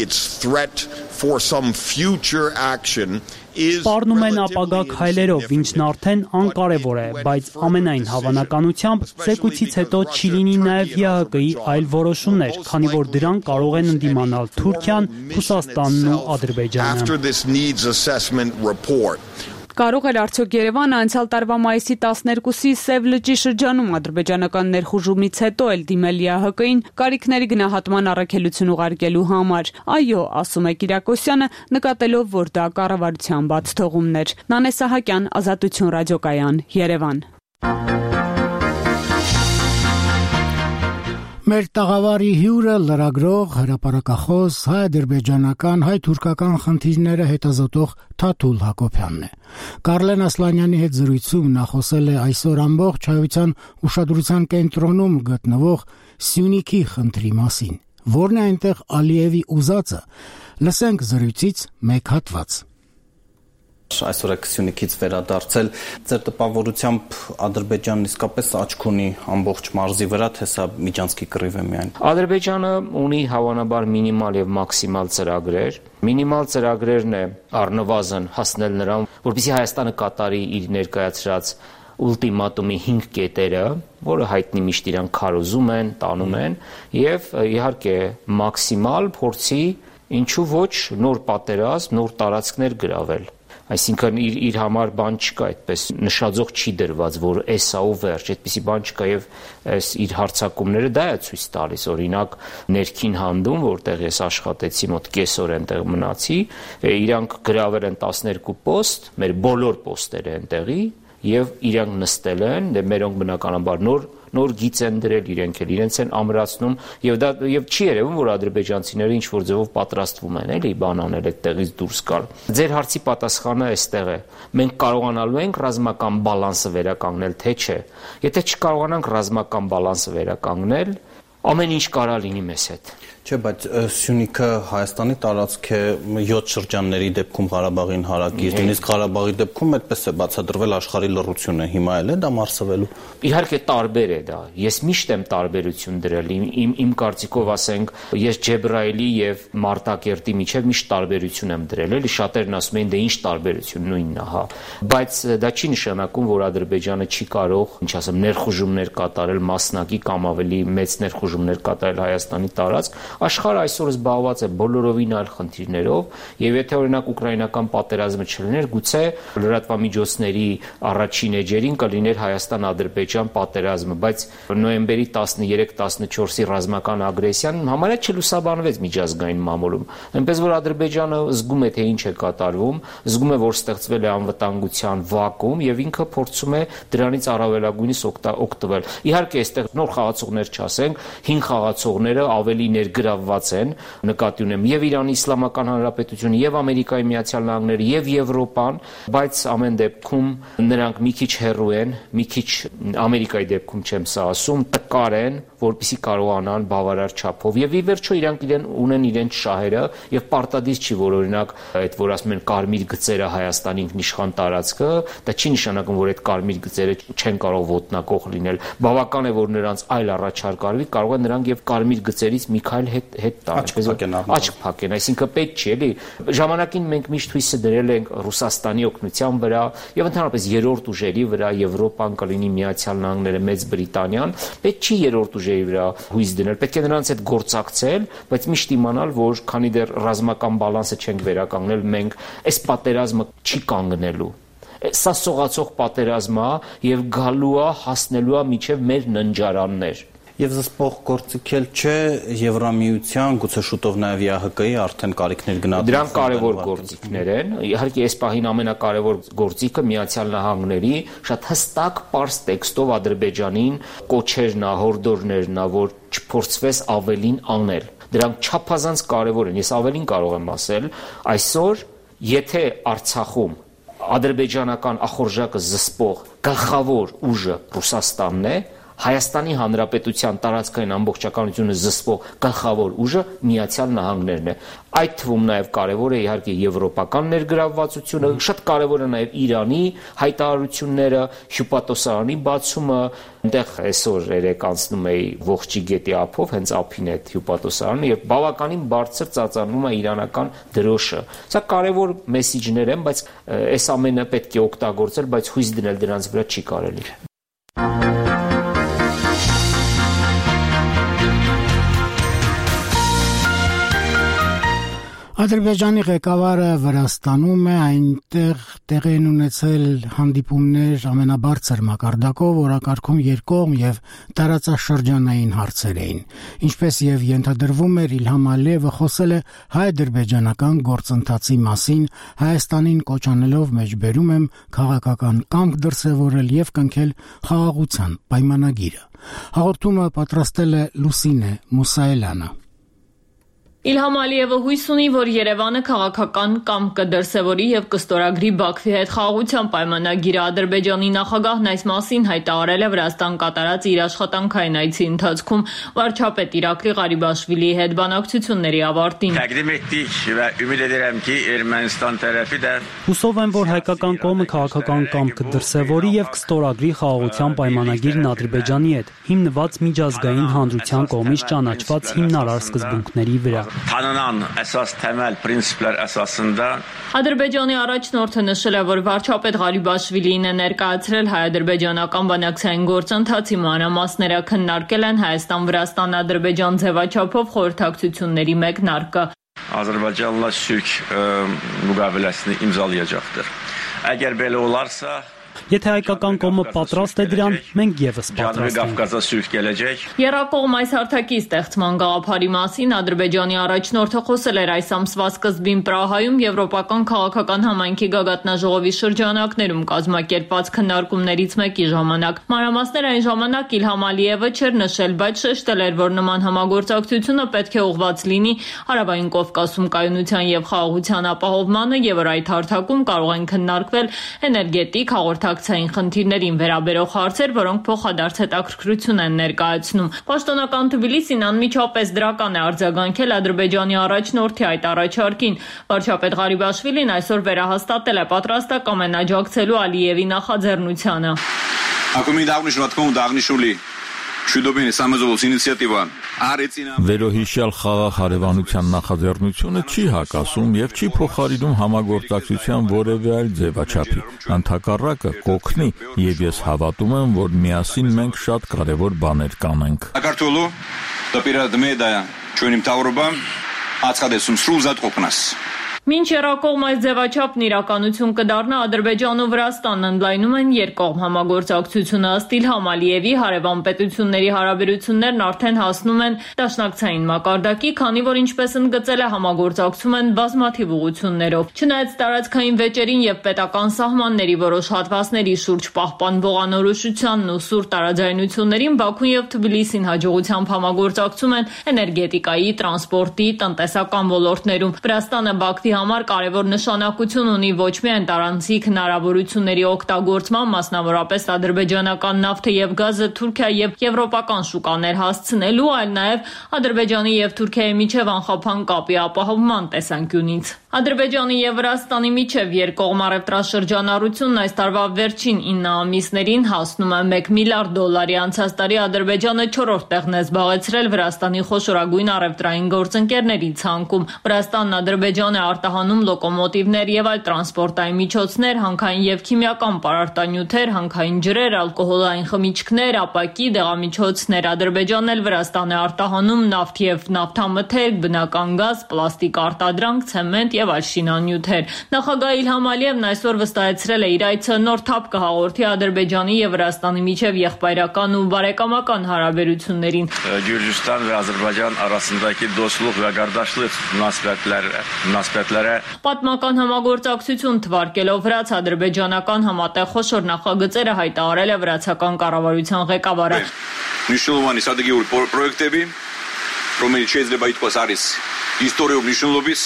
For some future action is Սպառնում են ապագա քայլերով, ինչն արդեն անկարևոր է, բայց ամենայն հավանականությամբ զեկույցից հետո չի լինի նաև ԵԱՀԿ-ի այլ որոշումներ, քանի որ դրան կարող են ընդդիմանալ Թուրքիան, Ռուսաստանն ու Ադրբեջանը։ Կարող էր արդյոք Երևանը անցյալ տարվա մայիսի տասներկուսի Սև լճի շրջանում ադրբեջանական ներխուժումից հետո էլ դիմել ԵԱՀԿ-ին կարիքների գնահատման առաքելություն ուղարկելու համար։ Այո, ասում է Կիրակոսյանը, նկատելով, որ դա կառավարության բաց թողումներ։ Նանե Սահակյան, Ազատություն ռադիոկայան, Երևան։ Մեր տաղավարի հյուրը լրագրող, հրապարակախոս, հայ-ադրբեջանական, հայ-թուրքական խնդիրները հետազոտող Թաթուլ Հակոբյանն է։ Կարլեն Ասլանյանի հետ զրույցում նա խոսել է այսօր ամբողջ հայության ուշադրության կենտրոնում գտնվող Սյունիքի խնդրի մասին։ Որն է այնտեղ Ալիևի ուզածը։ Լսենք զրույցից մեկ հատված։ Այսօր եք Սյունիքից վերադարձել, ձեր տպավորությամբ Ադրբեջանն իսկապես աչք ունի ամբողջ մարզի վրա, թե սա միջանցքի կռիվ է միայն։ Ադրբեջանը ունի հավանաբար մինիմալ եւ մաքսիմալ ծրագրեր։ Մինիմալ ծրագրերն է առնվազն հասնել նրան, որպեսզի Հայաստանը կատարի իր ներկայացրած ուլտիմատումի հինգ կետերը, որը հայտնի միշտ իրան քարոզում են, տանում են, եւ իհարկե մաքսիմալ փորձի ինչու ոչ նոր պատերազմ, նոր տարածքներ գրավել։ Այսինքն իր իր համար բան չկա, այդպես նշաձող չի դրված, որ էսա ու վերջ, այդպիսի բան չկա եւ այս իր հարցակումները դա է ցույց տալիս, օրինակ ներքին հանդում, որտեղ ես աշխատեցի մոտ կեսօր այնտեղ մնացի, իրանք գրավել են տասներկու պոստ, մեր բոլոր պոստերը այնտեղի եւ իրանք նստել են, դե մերոնք բնականաբար նոր նոր գիծ են դրել, իրենք էլ իրենց են ամրացնում եւ դա եւ չի երևում, որ ադրբեջանցիները ինչ որ ձևով պատրաստվում են, էլի բան անել այդտեղից դուրս գալ։ Ձեր հարցի պատասխանը այստեղ է։ Մենք կարողանալու ենք ռազմական բալանսը վերականգնել, թե չէ։ Եթե չկարողանանք ռազմական բալանսը վերականգնել, ամեն ինչ կարա լինի մեզ հետ։ Չէ, բայց Սյունիքը Հայաստանի տարածք է յոթ շրջանների դեպքում Ղարաբաղին հարակից, նույնիսկ Ղարաբաղի դեպքում այդպես է բացատրվել աշխարհի լռությունը, հիմա էլ է դա մարսվելու։ Իհարկե տարբեր է դա։ Ես միշտ եմ տարբերություն դրել։ Իմ իմ կարծիքով ասենք, ես Ջեբրայելի եւ Մարտակերտի միջև միշտ տարբերություն եմ դրել, էլի շատերն ասում են դե ինչ տարբերություն, նույնն է, հա։ Բայց դա չի նշանակում, որ Ադրբեջանը չի կարող, ինչ ասեմ, ներխուժումներ կատարել մասնակի կամ ավելի մեծ ներխուժումներ կատարել Հայաստանի տարածք։ Աշխարհը այսօր զբաղված է բոլորովին այլ խնդիրներով եւ եթե օրինակ ուկրաինական պատերազմը չլիներ, գուցե լրատվամիջոցների առաջին էջերին կլիներ Հայաստան-Ադրբեջան պատերազմը, բայց նոյեմբերի տասներեք տասնչորսի ռազմական ագրեսիան համարյա չլուսաբանվեց միջազգային մամուլում։ Այնպես որ Ադրբեջանը զգում է, թե ինչ է կատարվում, զգում է, որ ստեղծվել է անվտանգության վակուում եւ ինքը փորձում է դրանից առավելագույնս օգտվել։ Իհարկե, այստեղ նոր խաղացողներ չասենք, հին խաղացողները ավելի ներգրավված են, նկատի ունեմ եւ Իրանի Իսլամական Հանրապետությունը, եւ Ամերիկայի Միացյալ Նահանգները, եւ Եվրոպան, բայց ամեն դեպքում նրանք մի քիչ հեռու են, մի քիչ Ամերիկայի դեպքում չեմ սա ասում, տկար են, որպեսզի կարողանան բավարար չափով եւ ի վերջո իրանք իրեն ունեն իրենց շահերը եւ պարտադիր չի, որ օրինակ այդ որ ասում են կարմիր գծերը Հայաստանի ինքնիշխան տարածքը, դա չի նշանակում, որ այդ կարմիր գծերը չեն կարող ոտնակող լինել։ Բավական է, որ նրանց այլ առաջարկ արվի, կարող է նրանք եւ կարմիր գծերից մի քայլ հետ հետ տան, աչք փակեն, այսինքն պետք չի, էլի։ Ժամանակին մենք միշտ հույսը դրել ենք Ռուսաստանի օգնության վրա եւ ընդհանրապես երրորդ ուժերի վրա, Եվրոպան կլինի, Միացյալ Նահանգները, Մեծ Բրիտանիան, պետք չի երրորդ ուժերի վրա հույս դնել, պետք է նրանց հետ գործակցել, բայց միշտ իմանալ, որ քանի դեռ ռազմական բալանսը չենք վերականգնել, մենք այս պատերազմը չի կանգնելու։ Սա սողացող պատերազմ է եւ գալու է, հասնելու է միջև մեր ննջարաններ։ Եվ զսպող գործիք էլ չէ Եվրամիության, գուցե շուտով նաև ԵԱՀԿ-ի արդեն կարիքներ գնահատել։ Դրանք կարևոր գործիքներ են։ Իհարկե, այս պահին ամենակարևոր գործիքը Միացյալ Նահանգների շատ հստակ պարզ տեքստով Ադրբեջանին կոչերն է, հորդորներն է, որ չփորձվես ավելին անել։ Դրանք չափազանց կարևոր են։ Ես ավելին կարող եմ ասել, այսօր, եթե Արցախում ադրբեջանական ախորժակը զսպող գլխավոր ուժը Ռուսաստանն է, Հայաստանի Հանրապետության տարածքային ամբողջականությունը զսպող գլխավոր ուժը Միացյալ Նահանգներն է։ Այդ թվում նաև կարևոր է իհարկե եվրոպական ներգրավվածությունը, շատ կարևոր է նաև Իրանի հայտարարությունները, հյուպատոսարանի բացումը, այնտեղ այսօր երեք անցնում էի Ողջի գետի ափով, հենց ափին այդ հյուպատոսարանը եւ բավականին բարձր ծածանվում է իրանական դրոշը։ Սա կարևոր մեսիջներ են, բայց այս ամենը պետք է օգտագործել, բայց հույս դնել դրանց վրա չի կարելի։ Ադրբեջանի ղեկավարը Վրաստանում է, այնտեղ տեղի են ունեցել հանդիպումներ ամենաբարձր մակարդակով, օրակարգում երկկողմ եւ տարածաշրջանային հարցեր էին։ Ինչպես եւ ենթադրվում էր, Իլհամ Ալիևը խոսել է հայ-ադրբեջանական գործընթացի մասին, Հայաստանին կոչ անելով մեջբերում եմ քաղաքական կամք դրսևորել եւ կնքել խաղաղության պայմանագիրը։ Հաղորդումը պատրաստել է Լուսինե Մուսայելյանը։ Իլհամ Ալիևը հույս ունի, որ Երևանը քաղաքական կամք կդրսևորի եւ կստորագրի Բաքվի հետ խաղաղության պայմանագիրը։ Ադրբեջանի նախագահն այս մասին հայտարարել է Վրաստան կատարած իր աշխատանքային այցի ընթացքում վարչապետ Իրակլի Ղարիբաշվիլիի հետ բանակցությունների ավարտին։ Təqdim etdik və ümid edirəm ki, Ermənistan tərəfi də Հուսով եմ, որ հայկական կողմը քաղաքական կամք կդրսևորի եւ կստորագրի խաղաղության պայմանագիրն Ադրբեջանի հետ, հիմնված միջազգային հանրության կողմից ճանաչված հիմնարար սկզբունքների վրա։ Tanınan əsas təməl prinsiplər əsasında Ադրբեջանի առաջնորդը նշել է, որ վարչապետ Ղարիբաշվիլին է ներկայացրել հայ-ադրբեջանական բանակցային գործընթացի մանրամասները, քննարկել են Հայաստան-Վրաստան-Ադրբեջան ձևաչափով խորհրդակցությունների մեկնարկը։ Azərbaycanla sülh müqaviləsini imzalayacaqdır. Əgər belə olarsa Եթե հայկական կողմը պատրաստ է դրան, մենք եւս պատրաստ ենք։ Եռակողմ այս հարթակի ստեղծման գաղափարի մասին Ադրբեջանի առաջնորդը խոսել էր այս ամսվա սկզբին Պրահայում Եվրոպական քաղաքական համայնքի գագաթնաժողովի շրջանակներում կազմակերպված քննարկումներից մեկի ժամանակ։ Մանրամասներ այն ժամանակ Իլհամ Ալիևը չէր նշել, բայց շեշտել էր, որ նման համագործակցությունը պետք է ուղղված լինի Հարավային Կովկասում կայունության եւ խաղաղության ապահովմանը եւ որ այդ հարթակում կարող են քննարկվել էներգետիկ հաղորդակցային խնդիրներին վերաբերող հարցեր, որոնք փոխադարձ հետաքրքրություն են ներկայացնում։ Պաշտոնական Թբիլիսին անմիջապես դրական է արձագանքել Ադրբեջանի առաջնորդի այդ առաջարկին։ Վարչապետ Ղարիբաշվիլին այսօր վերահաստատել է պատրաստակամ են աջակցելու Ալիևի նախաձեռնությանը։ Acum îi dau niște vatcom dagnișului și dobine samezovs ինիցիատիվա Վերոհիշյալ խաղաղ հարևանության նախաձեռնությունը չի հակասում եւ չի փոխարինում համագործակցության որևէ այլ ձևաչափի։ Ընդհակառակը կօգնի եւ ես հավատում եմ, որ միասին մենք շատ կարեւոր բաներ կանենք։ Ակարտոլու դեպիրադմեդայա ճունիմ տավրոբամ ածխադեսում սրուզատ օկնաս Մինչ եռակողմ այս ձևաչափն իրականություն կդառնա, Ադրբեջանն ու Վրաստանն ընդլայնում են երկկողմ համագործակցությունը։ Ըստ Իլհամ Ալիևի հարևան պետությունների հարաբերություններն արդեն հասնում են դաշնակցային մակարդակի, քանի որ ինչպես ընդգծել է համագործակցում են բազմաթիվ ուղղություններով։ Չնայած տարածքային վեճերին եւ պետական սահմանների որոշ հատվածների շուրջ պահպանվող անորոշությանն ու սուր տարաձայնություններին Բաքուն եւ Թբիլիսին հաջողությամբ համագործակցում են էներգետիկայի, տրանսպորտի, տնտեսական ոլորտներում։ Վրաստանը Բաքվի համար կարևոր նշանակություն ունի ոչ միայն տարանցիկ հնարավորությունների օգտագործման, մասնավորապես ադրբեջանական նավթը եւ գազը Թուրքիա եւ եվրոպական շուկաներ հասցնելու, այլ նաեւ Ադրբեջանի եւ Թուրքիայի միջև անխափան կապի ապահովման տեսանկյունից։ Ադրբեջանի եւ Վրաստանի միջև երկկողմ առևտրաշրջանառությունն այս տարվա վերջին ինը ամիսներին հասնում է մեկ միլիարդ դոլարի, անցած տարի Ադրբեջանը չորրորդ տեղն է զբաղեցրել Վրաստանի խոշորագույն առևտրային գործընկերների ցանկում։ Վրաստանն Ադրբեջան է արտահանում լոկոմոտիվներ եւ այլ տրանսպորտային միջոցներ, հանքային եւ քիմիական պարարտանյութեր, հանքային ջրեր, ալկոհոլային խմիչքներ, ապակի, դեղամիջոցներ։ Ադրբեջանն էլ Վրաստան է արտահանում նավթ եւ նավթամթերք, բնական գազ, պլաստիկ արտադրանք, ցեմենտ եւ այլ շինանյութեր։ Նախագահ Իլհամ Ալիևն այսօր վստահեցրել է իր այցը նոր թափ կհաղորդի Ադրբեջանի եւ Վրաստանի միջև եղբայրական ու բարեկամական հարաբերություններին։ Gürcistan ve Azerbaycan arasındaki dostluk ve kardeşlik münasebetleri münasebetleri Պատմական համագործակցություն թվարկելով վրաց ադրբեջանական համատեղ խոշոր նախագծերը հայտարարել է վրացական կառավարության ղեկավարը։ Მნიშვნელოვანი სადაგიური პროექტები, რომელიც შეიძლება ითქვას არის ისტორიულ მნიშვნელობის,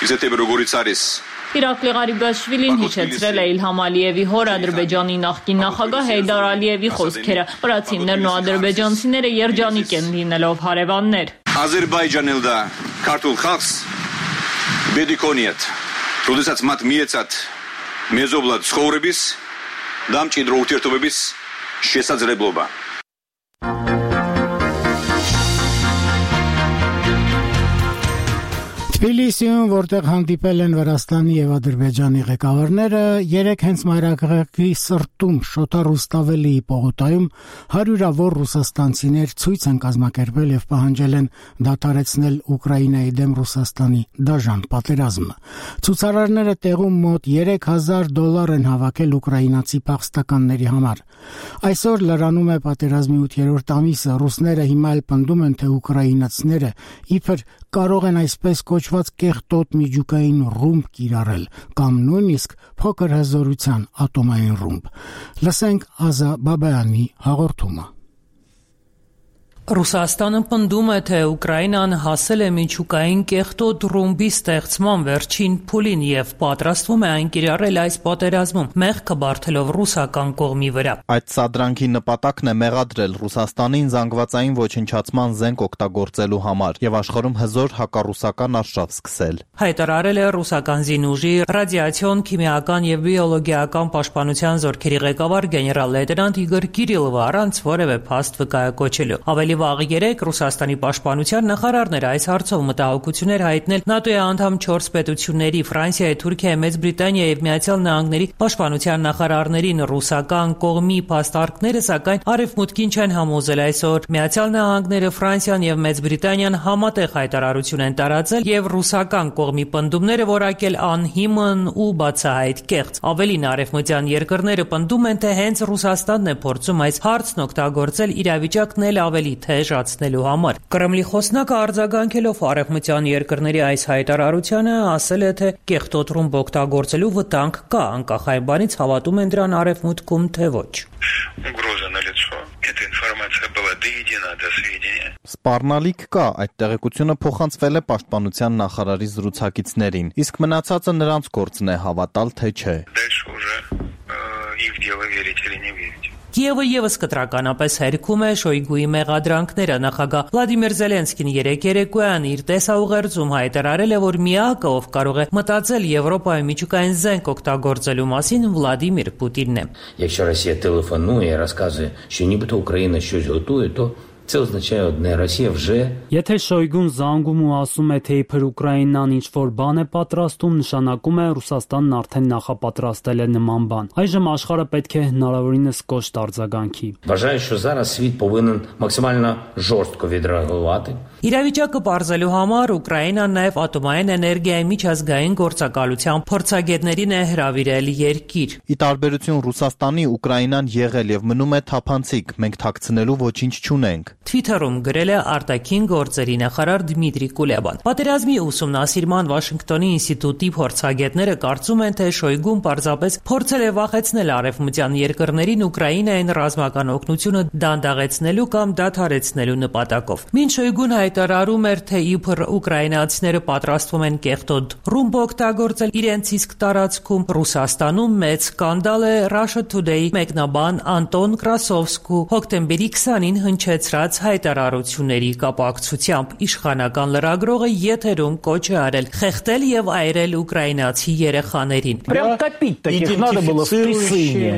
ისეთები როგორიც არის Իրակլի Ղարիբաշվիլին հիշեցրել է Իլհամ Ալիևի հոր Ադրբեջանի նախկին նախագահ Հեյդար Ալիևի խոսքերը։ Վրացիներն ու ադրբեջանցիները երջանիկ են լինելով հարևաններ։ Ադրբեջանն էլ դա քարտուլ խաղս բեդիկոնիետ Ռուդիսած մատ միեցած մեզոբլա ցխորեբիս դամ չիդրոուտիրտովեբիս շեսած ռեբլոբա Թբիլիսիում, որտեղ հանդիպել են Վրաստանի եւ Ադրբեջանի ղեկավարները, երեք հենց մայրաքաղաքի սրտում Շոթա-Ռուստավելի պողոտայում հարյուրավոր ռուսաստանցիներ ցույց են կազմակերպել եւ պահանջել են դադարեցնել Ուկրաինայի դեմ Ռուսաստանի դաժան պատերազմը։ Ցուցարարները տեղում մոտ երեք հազար դոլար են հավաքել ուկրաինացի փախստականների համար։ Այսօր լրանում է պատերազմի ութերորդ ամիսը, ռուսները հիմա էլ պնդում են, թե ուկրաինացիները իբր կարող են այսպես կոչված կեղտոտ միջուկային ռումբ կիրառել կամ նույնիսկ փոքր հզորության ատոմային ռումբ։ Լսենք Ազա Բաբայանի հաղորդումը։ Ռուսաստանը պնդում է, թե Ուկրաինան հասել է միջուկային կեղտոտ ռումբի ստեղծման վերջին փուլին եւ պատրաստվում է այն կիրառել այս պատերազմում, մեղքը բարթելով ռուսական կողմի վրա։ Այդ սադրանքի նպատակն է մեղադրել Ռուսաստանին զանգվածային ոչնչացման զենք օգտագործելու համար եւ աշխարհում հզոր հակառուսական արշավ սկսել։ Հայտարարել է ռուսական զինուժի ռադիացիոն, քիմիական եւ բիոլոգիական պաշտպանության զորքերի ղեկավար գեներալ-լեյտենանտ Իգոր Կիրիլովը առանց որևէ փաստ վկայակոչելու։ Ավելի վաղ երեկ Ռուսաստանի պաշտպանության նախարարն էր այս հարցով մտահոգություններ հայտնել ՆԱՏՕ-ի անդամ չորս պետությունների Ֆրանսիայի, Թուրքիայի, Մեծ Բրիտանիայի եւ Միացյալ Նահանգների պաշտպանության նախարարներին ռուսական կողմի փաստարկները, սակայն Արևմուտքին չեն համոզել այսօր։ Միացյալ Նահանգները, Ֆրանսիան եւ Մեծ Բրիտանիան համատեղ հայտարարություն են տարածել եւ ռուսական կողմի պնդումները որակել անհիմն ու բացահայտ կեղծ։ Ավելին, արևմտյան երկրները պնդում են, թե հենց Ռուսաստանն է փորձում այս հարցն օգտագործել իրավիճակն էլ ավելի թեժացնելու համար։ Կրեմլի խոսնակը արձագանքելով արևմտյան երկրների այս հայտարարությանը ասել է, թե կեղտոտ ռումբ օգտագործելու վտանգ կա, անկախ այն բանից հավատում են դրան արևմուտքում, թե ոչ։ Սպառնալիք կա, այդ տեղեկությունը փոխանցվել է պաշտպանության նախարարի զրուցակիցներին, իսկ մնացածը նրանց գործն է հավատալ, թե չէ։ Կիևը եւս կտրականապես հերքում է Շոյգուի մեղադրանքները։ Նախագահ Վլադիմիր Զելենսկին երեկ երեկոյան իր տեսաուղերձում հայտարարել է, որ միակը, ով կարող է մտածել Եվրոպայում միջուկային զենք օգտագործելու մասին, Վլադիմիր Պուտինն է։ Якщо Росія телефонує і розказує, що нібито Україна щось готує, то Це означає одне, Росія вже Եթե Շոյգուն զանգում ու ասում է, թե իբր Ուկրաինան ինչ-որ բան է պատրաստում, նշանակում է Ռուսաստանն արդեն նախապատրաստել է նման բան։ Այժմ աշխարհը պետք է հնարավորինս կոշտ արձագանքի։ Вважаю, що зараз світ повинен максимально жорстко відреагувати. Իրավիճակը բարձելու համար Ուկրաինան նաև ատոմային էներգիայի միջազգային գործակալության փորձագետներին է հրավիրել երկիր։ Ի տարբերություն Ռուսաստանի, Ուկրաինան եղել եւ մնում է թափանցիկ, մենք թաքցնելու ոչինչ չունենք։ Թվիթերում գրել է արտաքին գործերի նախարար Դմիտրի Կուլեբան։ Պատերազմի ուսումնասիրման Վաշինգտոնի ինստիտուտի փորձագետները կարծում են, թե Շոյգուն պարզապես փորձել է վախեցնել արևմտյան երկրներին Ուկրաինային ռազմական օգնությունը դանդաղեցնելու կամ դադարեցնելու նպատակով։ Մինչ Շոյգուն հայտարարում էր, թե իբր ուկրաինացիները պատրաստվում են կեղտոտ ռումբ օգտագործել իրենց իսկ տարածքում, Ռուսաստանում մեծ սկանդալ է Russia Today մեկնաբան Անտոն Կրասովսկու հոկտեմբերի քսանին հնչեցրած հայտարարությունների կապակցությամբ։ Իշխանական լրագրողը եթերում կոչ է արել խեղդել եւ այրել ուկրաինացի երեխաներին։ Прям топить таких надо было в трясине։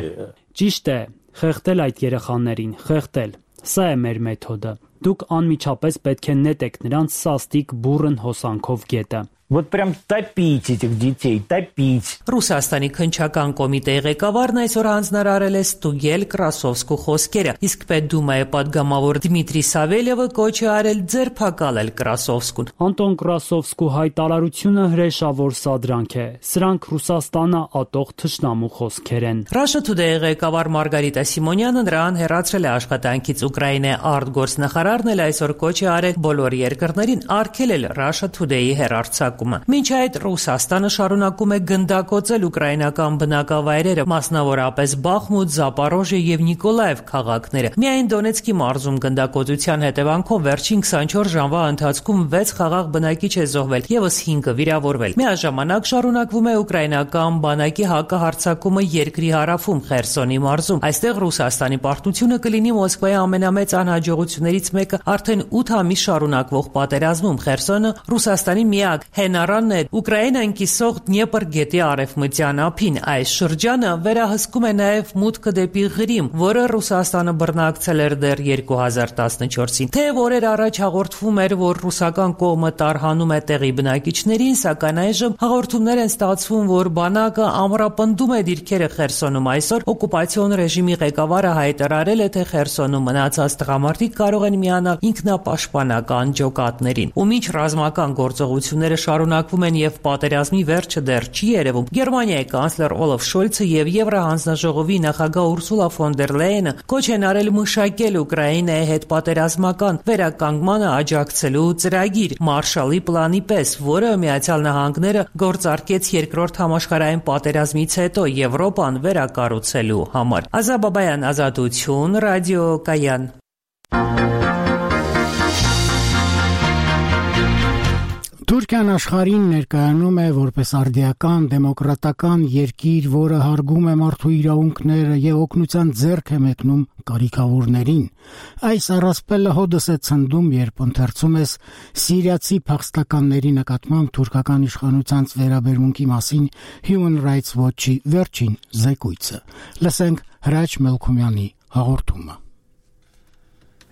Ճիշտ է, խեղդել այդ երեխաներին, խեղդել։ Սա է մեր մեթոդը։ Դուք անմիջապես պետք է նետեք նրանց սաստիկ բուրըն հոսանքով գետը։ Вот прям топить этих детей, топить. Ռուսաստանի քննչական կոմիտեի ղեկավարն այսօր հանձնարարել է ստուգել Կրասովսկու խոսքերը, իսկ Պետդումայի պատգամավոր Դմիտրի Սավելյևը կոչ է արել ձերբակալել Կրասովսկուն։ Անտոն Կրասովսկու հայտարարությունը հրեշավոր սադրանք է։ Սրանք Ռուսաստանը ատող թշնամու խոսքեր են։ Russia Today-ի ղեկավար Մարգարիտա Սիմոնյանը նրան հեռացրել է աշխատանքից։ Ուկրաինայի արտգործնախարարն էլ այսօր կոչ է արել բոլոր երկրներին արգելել Russia Today-ի հեռարձակ հարձակումը։ Մինչ այդ Ռուսաստանը շարունակում է գնդակոծել ուկրաինական բնակավայրերը, մասնավորապես Բախմուտ, Զապորոժիե եւ Նիկոլաև քաղաքները։ Միայն Դոնեցկի մարզում գնդակոծության հետևանքով վերջին քսանչորս ժամվա ընթացքում վեց խաղաղ բնակիչ է զոհվել, եւս հինգը վիրավորվել։ Միաժամանակ շարունակվում է ուկրաինական բանակի հակահարձակումը երկրի հարավում Խերսոնի մարզում։ Այստեղ Ռուսաստանի պարտությունը կլինի Մոսկվայի ամենամեծ անհաջողություններից մեկը արդեն ութ ամիս շարունակվող պատերազմում։ Խերսոնը Ռուսաստանի միակ հենարանն է Ուկրաինան կիսող Դնեպր գետի արևմտյան ափին։ Այս շրջանը վերահսկում է նաև մուտքը դեպի Ղրիմ, որը Ռուսաստանը բռնակցել էր դեռ երկու հազար տասնչորսին։ Թեև օրեր առաջ հաղորդվում էր, որ ռուսական կողմը տարհանում է տեղի բնակիչներին, սակայն այժմ հաղորդումներ են ստացվում, որ բանակը ամրապնդում է դիրքերը Խերսոնում։ Այսօր օկուպացիոն ռեժիմի ղեկավարը հայտարարել է, թե Խերսոնում մնացած տղամարդիկ կարող են միանալ ինքնապաշտպանական ջոկատներին։ Ու մինչ ռազմական գործողությունները շարունակվում են եւ պատերազմի վերջը դեռ չի երևում, Գերմանիայի կանցլեր Օլաֆ Շոլցը եւ Եվրահանձնաժողովի նախագահ Ուրսուլա ֆոն դեր Լեյենը կոչ են արել մշակել Ուկրաինայի հետ պատերազմական վերականգմանը աջակցելու ծրագիր Մարշալի պլանի պես, որը Միացյալ Նահանգները գործարկեց երկրորդ համաշխարհային պատերազմից հետո Եվրոպան վերակառուցելու համար։ Ազա Բաբայան, Ազատություն, Ռադիո Կայան։ Թուրքիան աշխարհին ներկայանում է որպես արդիական դեմոկրատական երկիր, որը հարգում է մարդու իրավունքները եւ օգնության ձեռք է մեկնում կարիքավորներին։ Այս առասպելը հոդս է ցնդում, երբ ընթերցում ես սիրիացի փախստականների նկատմամբ թուրքական իշխանության վերաբերմունքի մասին Human Rights Watch-ի վերջին զեկույցը։ Լսենք Հրաչ Մելքումյանի հաղորդումը։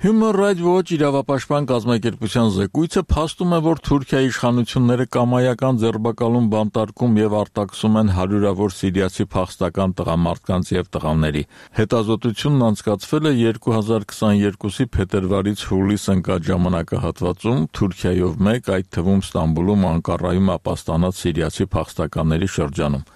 Human Rights Watch իրավապաշտպան կազմակերպության զեկույցը փաստում է, որ Թուրքիայի իշխանությունները կամայական ձերբակալում, բանտարկում եւ արտաքսում են հարյուրավոր սիրիացի փախստական տղամարդկանց եւ տղաների։ Հետազոտությունն անցկացվել է երկու հազար քսաներկուսի փետրվարից հուլիս ընկած ժամանակահատվածում Թուրքիայով մեկ, այդ թվում Ստամբուլում, Անկարայում ապաստանած սիրիացի փախստականների շրջանում։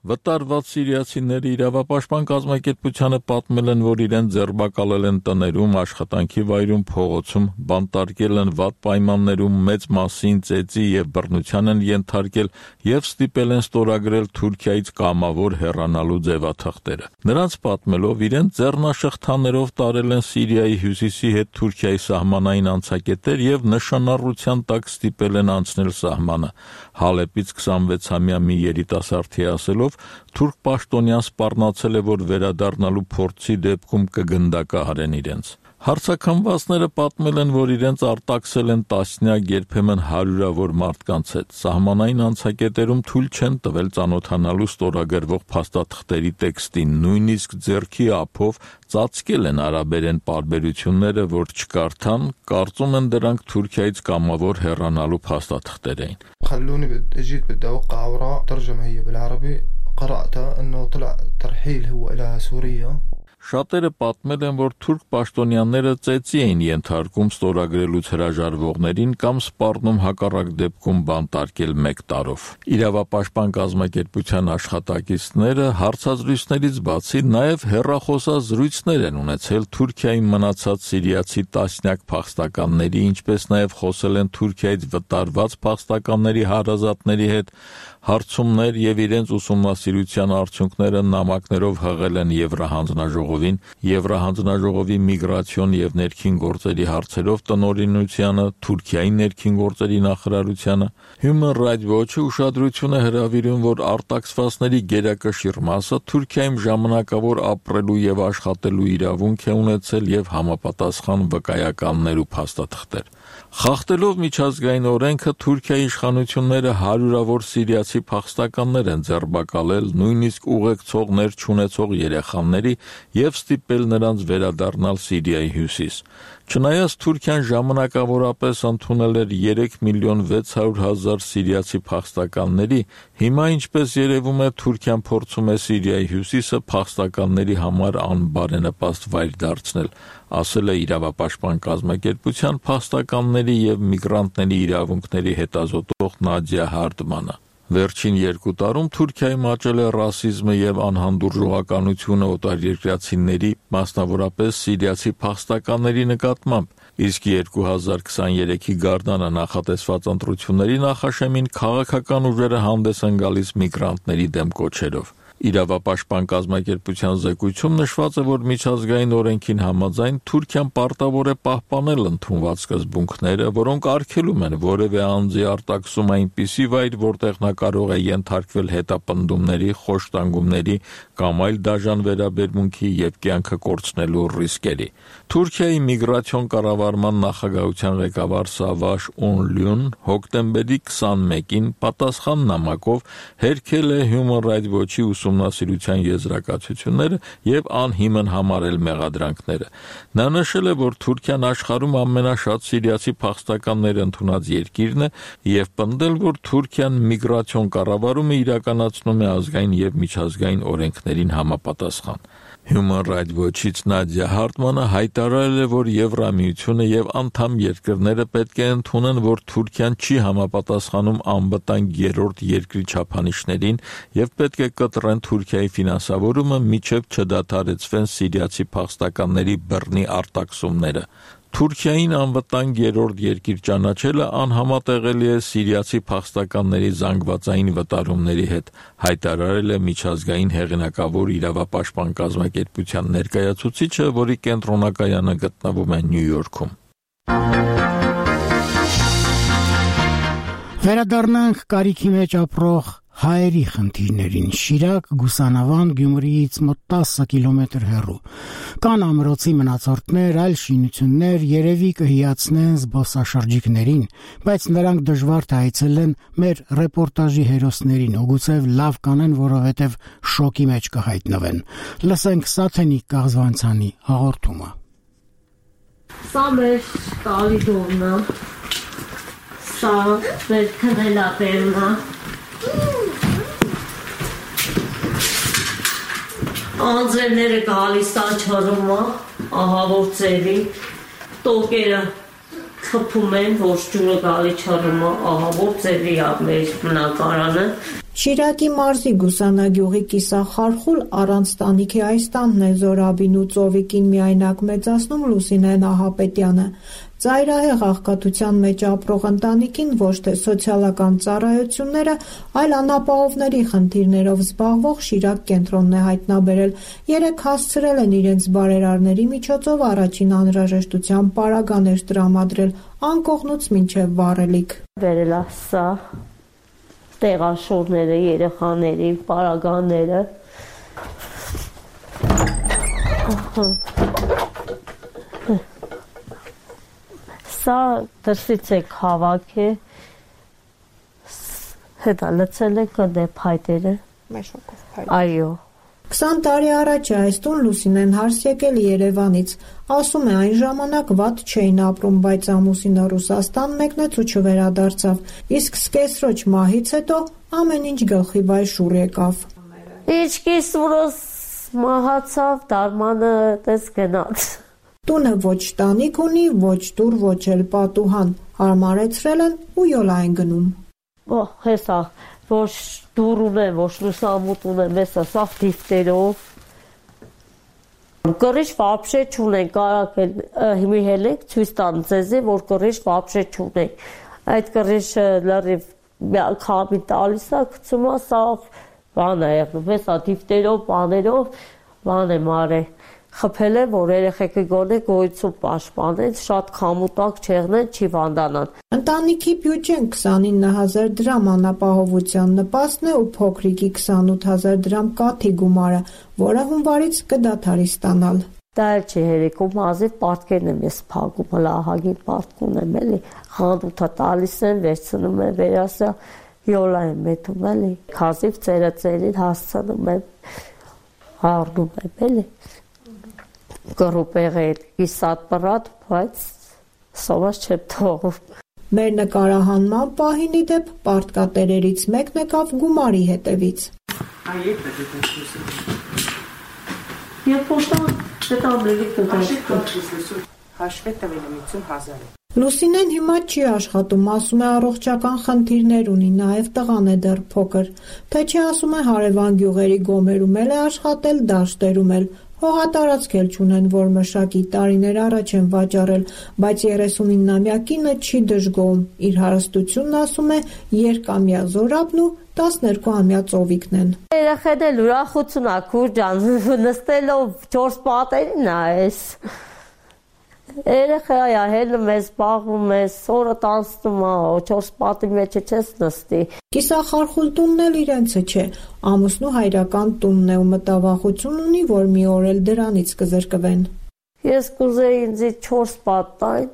Վտարված սիրիացիների իրավապաշտպան կազմակերպությանը պատմել են, որ իրեն ձերբակալել են տներում, աշխատանքի վայրում, փողոցում, բանտարկել են վատ պայմաններում, մեծ մասին ծեծի եւ բռնության են ենթարկել եւ ստիպել են ստորագրել Թուրքիայից կամավոր հեռանալու ձևաթղթերը։ Նրանց պատմելով, իրեն ձեռնաշղթաներով տարել են Սիրիայի հյուսիսի հետ Թուրքիայի սահմանային անցակետեր եւ նշանառության տակ ստիպել են անցնել սահմանը։ Հալեպից քսանվեցամյա մի երիտասարդի ասելով, թուրք պաշտոնյան սպառնացել է, որ վերադառնալու փորձի դեպքում կգնդակահարեն իրենց։ Հարցաքննվածները պատմել են, որ իրենց արտաքսել են տասնյակ, երբեմն հարյուրավոր մարդկանց հետ։ Սահմանային անցակետերում թույլ չեն տվել ծանոթանալու ստորագրվող փաստաթղթերի տեքստին, նույնիսկ ձեռքի ափով ծածկել են արաբերեն պարբերությունները, որ չկարդան, կարծում են դրանք Թուրքիայից կամավոր հեռանալու փաստաթղթեր էին։ خلوني اجيت بدي اوقع اوراق ترجمه هي بالعربي قرأتها انه طلع ترحيل هو الى سوريا Շատերը պատմել են, որ թուրք պաշտոնյաները ծեծի էին ենթարկում ստորագրելուց հրաժարվողներին կամ սպառնում հակառակ դեպքում բանտարկել մեկ տարով։ Իրավապաշտպան կազմակերպության աշխատակիցները հարցազրույցներից բացի նաև հեռախոսազրույցներ են ունեցել Թուրքիայի մնացած սիրիացի տասնյակ փախստականների, ինչպես նաև խոսել են Թուրքիայից վտարված փախստականների հարազատների հետ, հարցումներ եւ իրենց ուսումնասիրության արդյունքները նամակներով հղել են Եվրահանձնաժողովին, Եվրահանձնաժողովի միգրացիոն եւ ներքին գործերի հարցերով տնօրինությանը, Թուրքիայի ներքին գործերի նախարարությանը։ Human Rights Watch-ը ուշադրություն է հրավիրում, որ արտաքսվածների գերակշիռ մասը Թուրքիայում ժամանակավոր ապրելու եւ աշխատելու իրավունք է ունեցել եւ համապատասխան վկայականներ ու փաստաթղթեր։ Խախտելով միջազգային օրենքը Թուրքիայի իշխանությունները հարյուրավոր սիրիացի փախստականներ են ձերբակալել, նույնիսկ ուղեկցողներ չունեցող երեխաների եւ ստիպել նրանց վերադառնալ Սիրիայի հյուսիս։ Չնայած Թուրքիան ժամանակավորապես ընդունել էր երեք միլիոն վեց հարյուր հազար սիրիացի փախստականների, հիմա ինչպես երևում է Թուրքիան փորձում է Սիրիայի հյուսիսը փախստականների համար անբարենպաստ վայր դարձնել, ասել է իրավապաշտպան կազմակերպության փախստականների եւ միգրանտների իրավունքների հետազոտող Նադիա Հարդմանը։ Վերջին երկու տարում Թուրքիայում աճել է ռասիզմը եւ անհանդուրժողականությունը օտարերկրացիների, մասնավորապես սիրիացի փախստականների նկատմամբ։ Իսկ երկու հազար քսաներեքի գարնանը նախատեսված ընտրությունների նախաշեմին քաղաքական ուժերը հանդես են գալիս միգրանտների դեմ կոչերով։ Իրավապաշտպան կազմակերպության զեկույցում նշված է, որ միջազգային օրենքին համաձայն Թուրքիան պարտավոր է պահպանել ընդունված սկզբունքները, որոնք արգելում են որևէ անձի արտաքսում այնպիսի վայր, որտեղ նա կարող է ենթարկվել հետապնդումների, խոշտանգումների կամ այլ դաժան վերաբերմունքի եւ կյանքը կորցնելու ռիսկերի։ Թուրքիայի միգրացիոն կառավարման նախագահության ղեկավար Սավաշ Օնլյուն հոկտեմբերի քսանմեկին պատասխան նամակով հերքել է Human Rights Watch-ի ուսումնասիրության եզրակացությունները եւ անհիմն համարել մեղադրանքները։ Նա նշել է, որ Թուրքիան աշխարհում ամենաշատ սիրիացի փախստականներ ընդունած երկիրն է եւ պնդել, որ Թուրքիան միգրացիոն կառավարումը իրականացնում է ազգային եւ միջազգային օրենքներին համապատասխան։ Human Rights Watch-ից Նադիա Հարտմանը հայտարարել է, որ Եվրամիությունը եւ անդամ երկրները պետք է ընդունեն, որ Թուրքիան չի համապատասխանում անվտանգ երրորդ երկրի չափանիշներին եւ պետք է կտրեն Թուրքիայի ֆինանսավորումը, մինչեւ չդադարեցվեն սիրիացի փախստականների բռնի արտաքսումները։ Թուրքիային անվտանգ երրորդ երկիր ճանաչելը անհամատեղելի է սիրիացի փախստականների զանգվածային վտարումների հետ, հայտարարել է միջազգային հեղինակավոր իրավապաշտպան կազմակերպության ներկայացուցիչը, որի կենտրոնակայանը գտնվում է Նյու Յորքում։ Վերադառնանք կարիքի մեջ ապրող հայերի խնդիրներին։ Շիրակ, Գուսանավան, Գյումրիից մոտ տասը կիլոմետր հեռու։ Կան ամրոցի մնացորդներ, այլ շինություններ, երևի կհիացնեն զբոսաշրջիկներին, բայց նրանք դժվար թե այցելեն մեր ռեպորտաժի հերոսներին, ու գուցև լավ կանեն, որովհետև շոկի մեջ կհայտնվեն։ Լսենք Սաթենիկ Կաղզվանցյանի հաղորդումը։ Սա մեր կալիդոնն է, սա մեր քնելատերն է։ Անձրևները գալիս աչարումը, ահավոր ծերի, տոկերը խփում են, ոչ ջուրը գալի չարումը, ահավոր ծերի է մեր բնակարանը։ Շիրակի մարզի Գուսանագյուղի կիսախարխուլ առանց տանիքի այս տանն է Զորաբին ու Ծովիկին միայնակ մեծացնում Լուսինե Նահապետյանը։ Ծայրահեղ աղքատության մեջ ապրող ընտանիքին ոչ թե սոցիալական ծառայությունները, այլ անապահովների խնդիրներով զբաղվող Շիրակ կենտրոնն է հայտնաբերել։ Երեք հասցրել են իրենց բարերարների միջոցով առաջին անհրաժեշտության պարագաներ տրամադրել անկողնուց մինչև վառելիք։ Վերելա սա տեղաշորները, երեխաների պարագաները։ Սա դրսից է հավաք է, հետա լցել է կդե փայտերը։ Մեշոկով փայտ։ Այո։ քսան տարի առաջ այս տուն Լուսինեն հարս եկել Երևանից։ Ասում է այն ժամանակ վատ չէին ապրում, բայց ամուսինը Ռուսաստան մեկնեց ու չվերադարձավ։ Իսկ սկեսրոջ մահից հետո ամեն ինչ գլխի վայ շուռ եկավ։ Իչքիս որոս մահացավ, դարմանը տես գնաց։ Տունը ոչ տանիք ունի, ոչ դուր, ոչ էլ պատուհան, հարմարեցրել են ու յոլա են գնում։ Օ, հեսա, ոչ դուր ունեն, ոչ լուսամուտ ունեն, հեսա սավ դիվտերով։ Կռիչ վաբշե չունեն, կարակ հիմի հելեք ցույց տան ձեզի, որ կռիչ վաբշե չունեն։ Այդ կռիչը լրիվ քամի տալիս է, գցում է, սա բան է եղնում, հեսա դիվտերով, բաներով, բան է մարե։ Խփել է, որ երեխեքը գոնե գոյություն պաշտպանեն, շատ քամուտակ չեղնեն, չի վանդանան։ Ընտանիքի բյուջեն քսանինը հազար դրամ անապահովության նպաստն է ու փոքրիկի քսանութ հազար դրամ կաթի գումարը, որը հունվարից կդադարի ստանալ։ Դա էլ չի հերիքում, ազիվ պարտքերն եմ ես փակում, հլա ահագին պարտք ունեմ էլի, խանդութա տալիս են, վերցնում են, վերասա յոլա եմ մետում էլի, քազիվ ծերը ծերին հասցնում եմ, առնում եմ էլի։ Կռուպեղ է իսատ պրատ, բայց սովաս չեմ թողում։ Մեր նկարահանման պահինի դեպ պարտկատերերից մեկն եկավ գումարի հետևից։ Այդ է Եվ պոստան դետամների կդաշտ։ Հաշվե տվել եմ ութսուն հազար։ Լուսինեն հիմա չի աշխատում, ասում է առողջական խնդիրներ ունի, նաև տղան է դեռ փոքր, թե չի ասում է հարևան գյուղերի գոմերում էլ է աշխատել, դաշտերում էլ, Հողատարածք էլ չունեն, որ մշակի, տարիներ առաջ են վաճառել, բայց երեսունինամյակինը չի դժգոհում, իր հարստությունն ասում է երկամյա զորապն ու տասներկուամյա ծովիկն են։ Երեխեն էլ ուրախություն ա քուրջան, նստելով չորս պատերին ա էս։ Երեխայա հելում ես, բաղվում ես, օրը տանցնում ա, չորս պատի մեջը չես նստի։ Կիսախարխուլ տունն էլ իրենցը չէ, ամուսնու հայրական տունն է ու մտավախություն ունի, որ մի օր էլ դրանից կզրկվեն։ Ես կուզեի ինձ չորս պատ տային,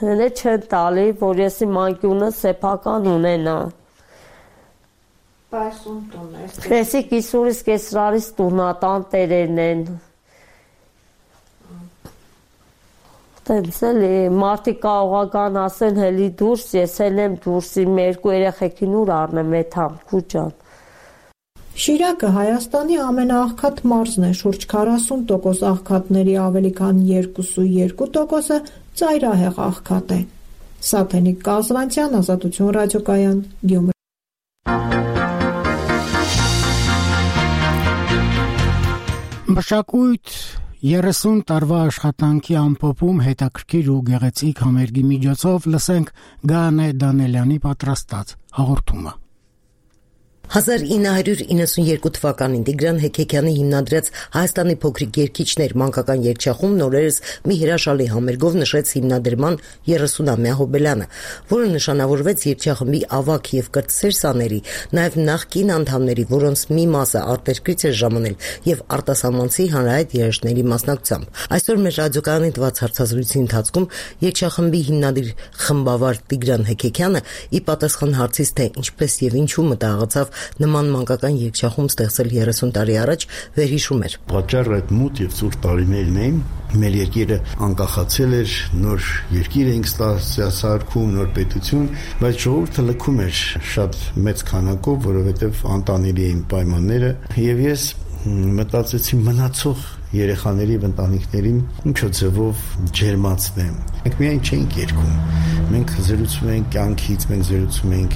հենե չեն տալի, որ ես իմ անկյունը սեփական ունենա։ Բայց ում տուն է։ Քեսի կիսուրից կեսրարից տունա, տանտերերն են։ Տենց էլի, մարդիկ կարողական ասեն հելի դուրս, ես էլ եմ դուրս, իմ երկու երեխեքին ուր առնեմ էդ համ, քուջան։ Շիրակը Հայաստանի ամենաաղքատ մարզն է, շուրջ քառասուն տոկոս աղքատների ավելի քան երկուսուերկու տոկոսը ծայրահեղ աղքատ է։ Սաթենիկ Կազվանցյան, Ազատություն ռադիոկայան, Գյումրի։ Մշակույթ երեսուն տարվա աշխատանքի ամփոփում հետաքրքիր ու գեղեցիկ համերգի միջոցով լսենք Գանե Դանելյանի պատրաստած հաղորդումը։ հազար ինը հարյուր իննսունյերկու թվականին Տիգրան Հեքեքյանի հիմնադրած Հայաստանի փոքրիկ երգիչներ մանկական երգչախումբն նորերս մի հրաշալի համերգով նշեց հիմնադրման երեսունամյա հոբելյանը, որը նշանավորվեց երգչախմբի ավագ եւ կրտսեր սաների, նաեւ նախկին անդամների, որոնց մի մասը արտերկրից էր ժամանել եւ արտասահմանցի հանրահայտ երաժշտների մասնակցությամբ։ Այսօր մեր ռադիոկայանի տված հարցազրույցի ընթացքում երգչախմբի հիմնադիր խմբավար Տիգրան Հեքեքյանը ի պատասխան հարցից, թե ինչպես եւ ինչու մտահղացավ նման մանկական երգչախումբ ստեղծել երեսուն տարի առաջ, վերհիշում էր։ Պատճառը այդ մութ եւ ծուր տարիներն էին, մեր երկիրը անկախացել էր, նոր երկիր էինք ստացարկում, նոր պետություն, բայց ժողովուրդը լքում էր շատ մեծ քանակով, որովհետեւ անտանելի էին պայմանները, եւ ես մտածեցի մնացող երեխաների եւ ընտանիքներին ինչո ձևով ջերմացնեմ։ Մենք միայն չենք երգում, մենք զրուցում ենք կյանքից, մենք զրուցում ենք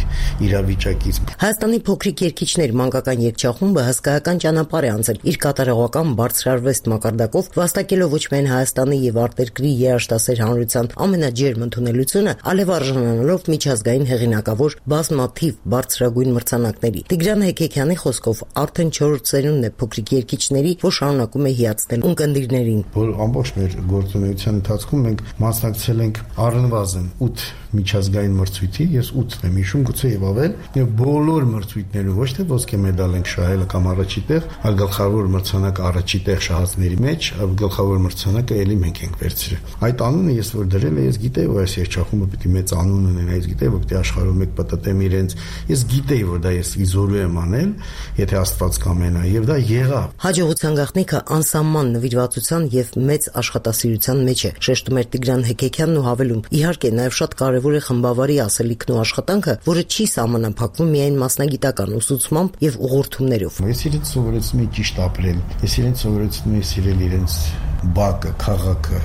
իրավիճակից։ Հայաստանի փոքրիկ երգիչներ մանկական երգչախումբը հսկայական ճանապարհ է անցել իր կատարողական բարձրարվեստ մակարդակով, վաստակելով ոչ միայն Հայաստանի եւ արտերկրի երաժշտասեր հանրության ամենաջերմ ընդունելությունը, այլև արժանանալով միջազգային հեղինակավոր բազմաթիվ բարձրագույն մրցանակների։ Տիգրան Հեքեքյանի խոսքով արդեն չորրորդ սերունդն է փոքրիկ երգիչների, որ շարունակում է հիացնել ունկնդիրներին։ Որ ամբողջ մեր գործունեության ընթացքում մենք մասնակցել ենք առնվազն ութ միջազգային մրցույթի, ես ութն եմ հիշում, գուցե եւ ավել, եւ բոլոր մրցույթներում ոչ թե ոսկե մեդալ ենք շահել կամ առաջի տեղ, այլ գլխավոր մրցանակը առաջի տեղ շահածների մեջ, գլխավոր մրցանակը ելի մենք ենք վերցրել։ Այդ անունը ես որ դրել եմ, ես գիտեի, որ այս երգչախումբը պիտի մեծ անուն ունենա, ես գիտեի, որ պիտի աշխարհում մեկ պատտեմ իրենց, ես գիտեի, որ դա ես իզորու եմ անել, եթե Աստված կամենա, եւ դա եղավ։ Հաջողության գաղտնիքը անսահման նվիրվածության եւ մեծ աշխատասիրության մեջ է, շեշտում էր Տիգրան Հեքեքյանն ու հավելում. իհարկե նաեւ շատ կարևոր է խմբավարի ասելիքն ու աշխատանքը, որը չի սահմանափակվում միայն մասնագիտական ուսուցմամբ եւ ուղղորդումներով։ Ես իրենց սովորեցնում եմ ճիշտ ապրել, ես իրենց սովորեցնում եմ սիրել իրենց բակը, քաղաքը,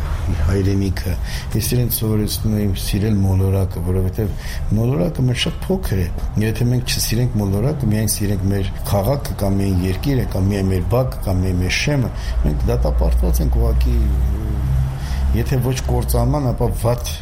հայրենիքը, ես իրենց սովորեցնում եմ սիրել մոլորակը, որովհետեւ մոլորակը մեր շատ փոքր է։ Եթե մենք չսիրենք մոլորակը, միայն սիրենք մեր քաղաքը կամ միայն երկիրը կամ միայն մեր բակը կամ միայն մեր շեմը, մենք դատապարտված ենք ուղղակի, եթե ոչ կործանման, ապա վատ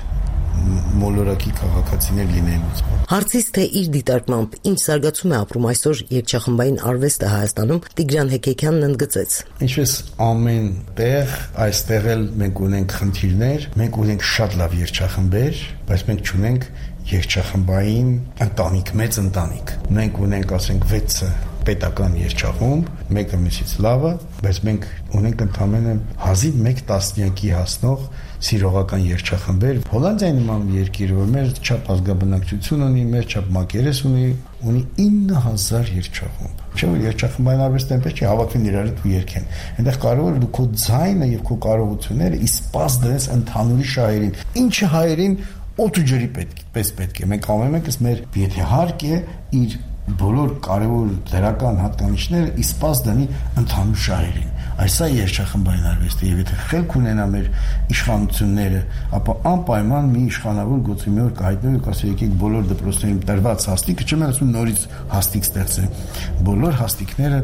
մոլորակի քաղաքացիներ լինելուց։ Հարցից թե իր դիտարկմամբ ինչ զարգացում է ապրում այսօր երգչախմբային արվեստը Հայաստանում, Տիգրան Հեքեքյանն ընդգծեց. Ինչպես ամեն տեղ, այստեղ էլ մենք ունենք խնդիրներ, մենք ունենք շատ լավ երգչախմբեր, բայց մենք չունենք երգչախմբային ընտանիք, մեծ ընտանիք։ Մենք ունենք, ասենք, վեցը պետական երգչախումբ, մեկը մյուսից լավը, բայց մենք ունենք ընդամենը հազիվ մեկ տասնյակի հասնող սիրողական երգչախմբեր։ Հոլանդիայի նման երկիրը, որ մեր չափ ազգաբնակչություն ունի, մեր չափ մակերես ունի, ունի ինը հազար երգչախումբ։ Չէ՞ որ երգչախմբային արվեստը այնպես չի հավաքվեն իրար հետ ու երգեն։ Այնտեղ կարևորը դու քո ձայնը եւ քո կարողությունները իսպաս դրես ընդհանուրի շահերին։ Ինչը հայերին օդ ու ջրի պես պետք է։ Մենք ամեն մեկս մեր եթե հարկ է իր բոլոր կարևոր դրական հատկանիշները իսպաս դնի ընդհանուր շահերին։ Այս է երգչախմբային արվեստը, եւ եթե խելք ունենա մեր իշխանությունները, ապա անպայման մի իշխանավոր գծի մի օր կհայտնվի ու կասի եկեք բոլոր դպրոցներին տրված հաստիկը, չեմ ասում նորից հաստիկ ստեղծել, բոլոր հաստիկները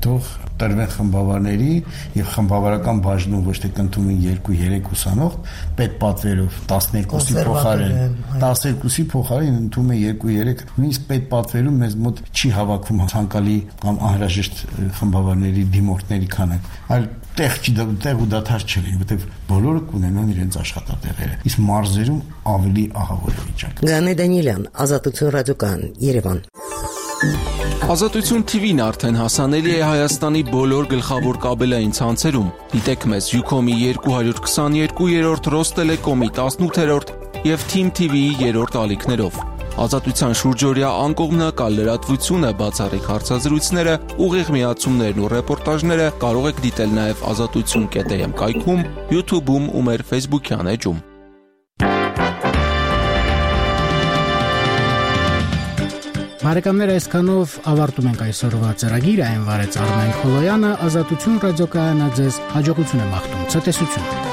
թող տրվեն խմբավարների եւ խմբավարական բաժնում ոչ թե կընդունում երկու երեք ուսանող պետպատվերով տասներկուսի փոխարեն տասներկուսի փոխարեն ընդունում է երկու երեք նույնիսկ պետպատվերում մեզ մոտ չի հավաքում ցանկալի կամ անհրաժեշտ խմբավարների դիմորդների քանակ, այլ տեղ չի տեղ ու դաթար չլինի, որտեղ բոլորը կունենան իրենց աշխատատեղերը։ Իսկ մարզերում ավելի ահավոր է վիճակը։ Գանե Դանիելյան, Ազատություն ռադիոկայան, Երևան։ Ազատություն թի վին արդեն հասանելի է Հայաստանի բոլոր գլխավոր կաբելային ցանցերում։ Դիտեք մեզ Յուքոմի երկու հարյուր քսաներկու, Ռոստելեկոմի տասնութերորդ եւ Թիմ թի վիի երրորդ ալիքներով։ Ազատության շուրջօրյա անկողմնակալ լրատվությունը, բացառիկ հարցազրույցները, ուղիղ միացումներն ու ռեպորտաժները կարող եք դիտել նաև ազատություն կետ էմ կայքում, YouTube-ում ու մեր Facebook-յան էջում։ Բարեկամներ, այսքանով ավարտում ենք այսօրվա ծրագիրը, այն վարեց Արմեն Խոլոյանը, Ազատություն ռադիոկայանը ձեզ հաջողություն է մաղթում, ցտեսություն։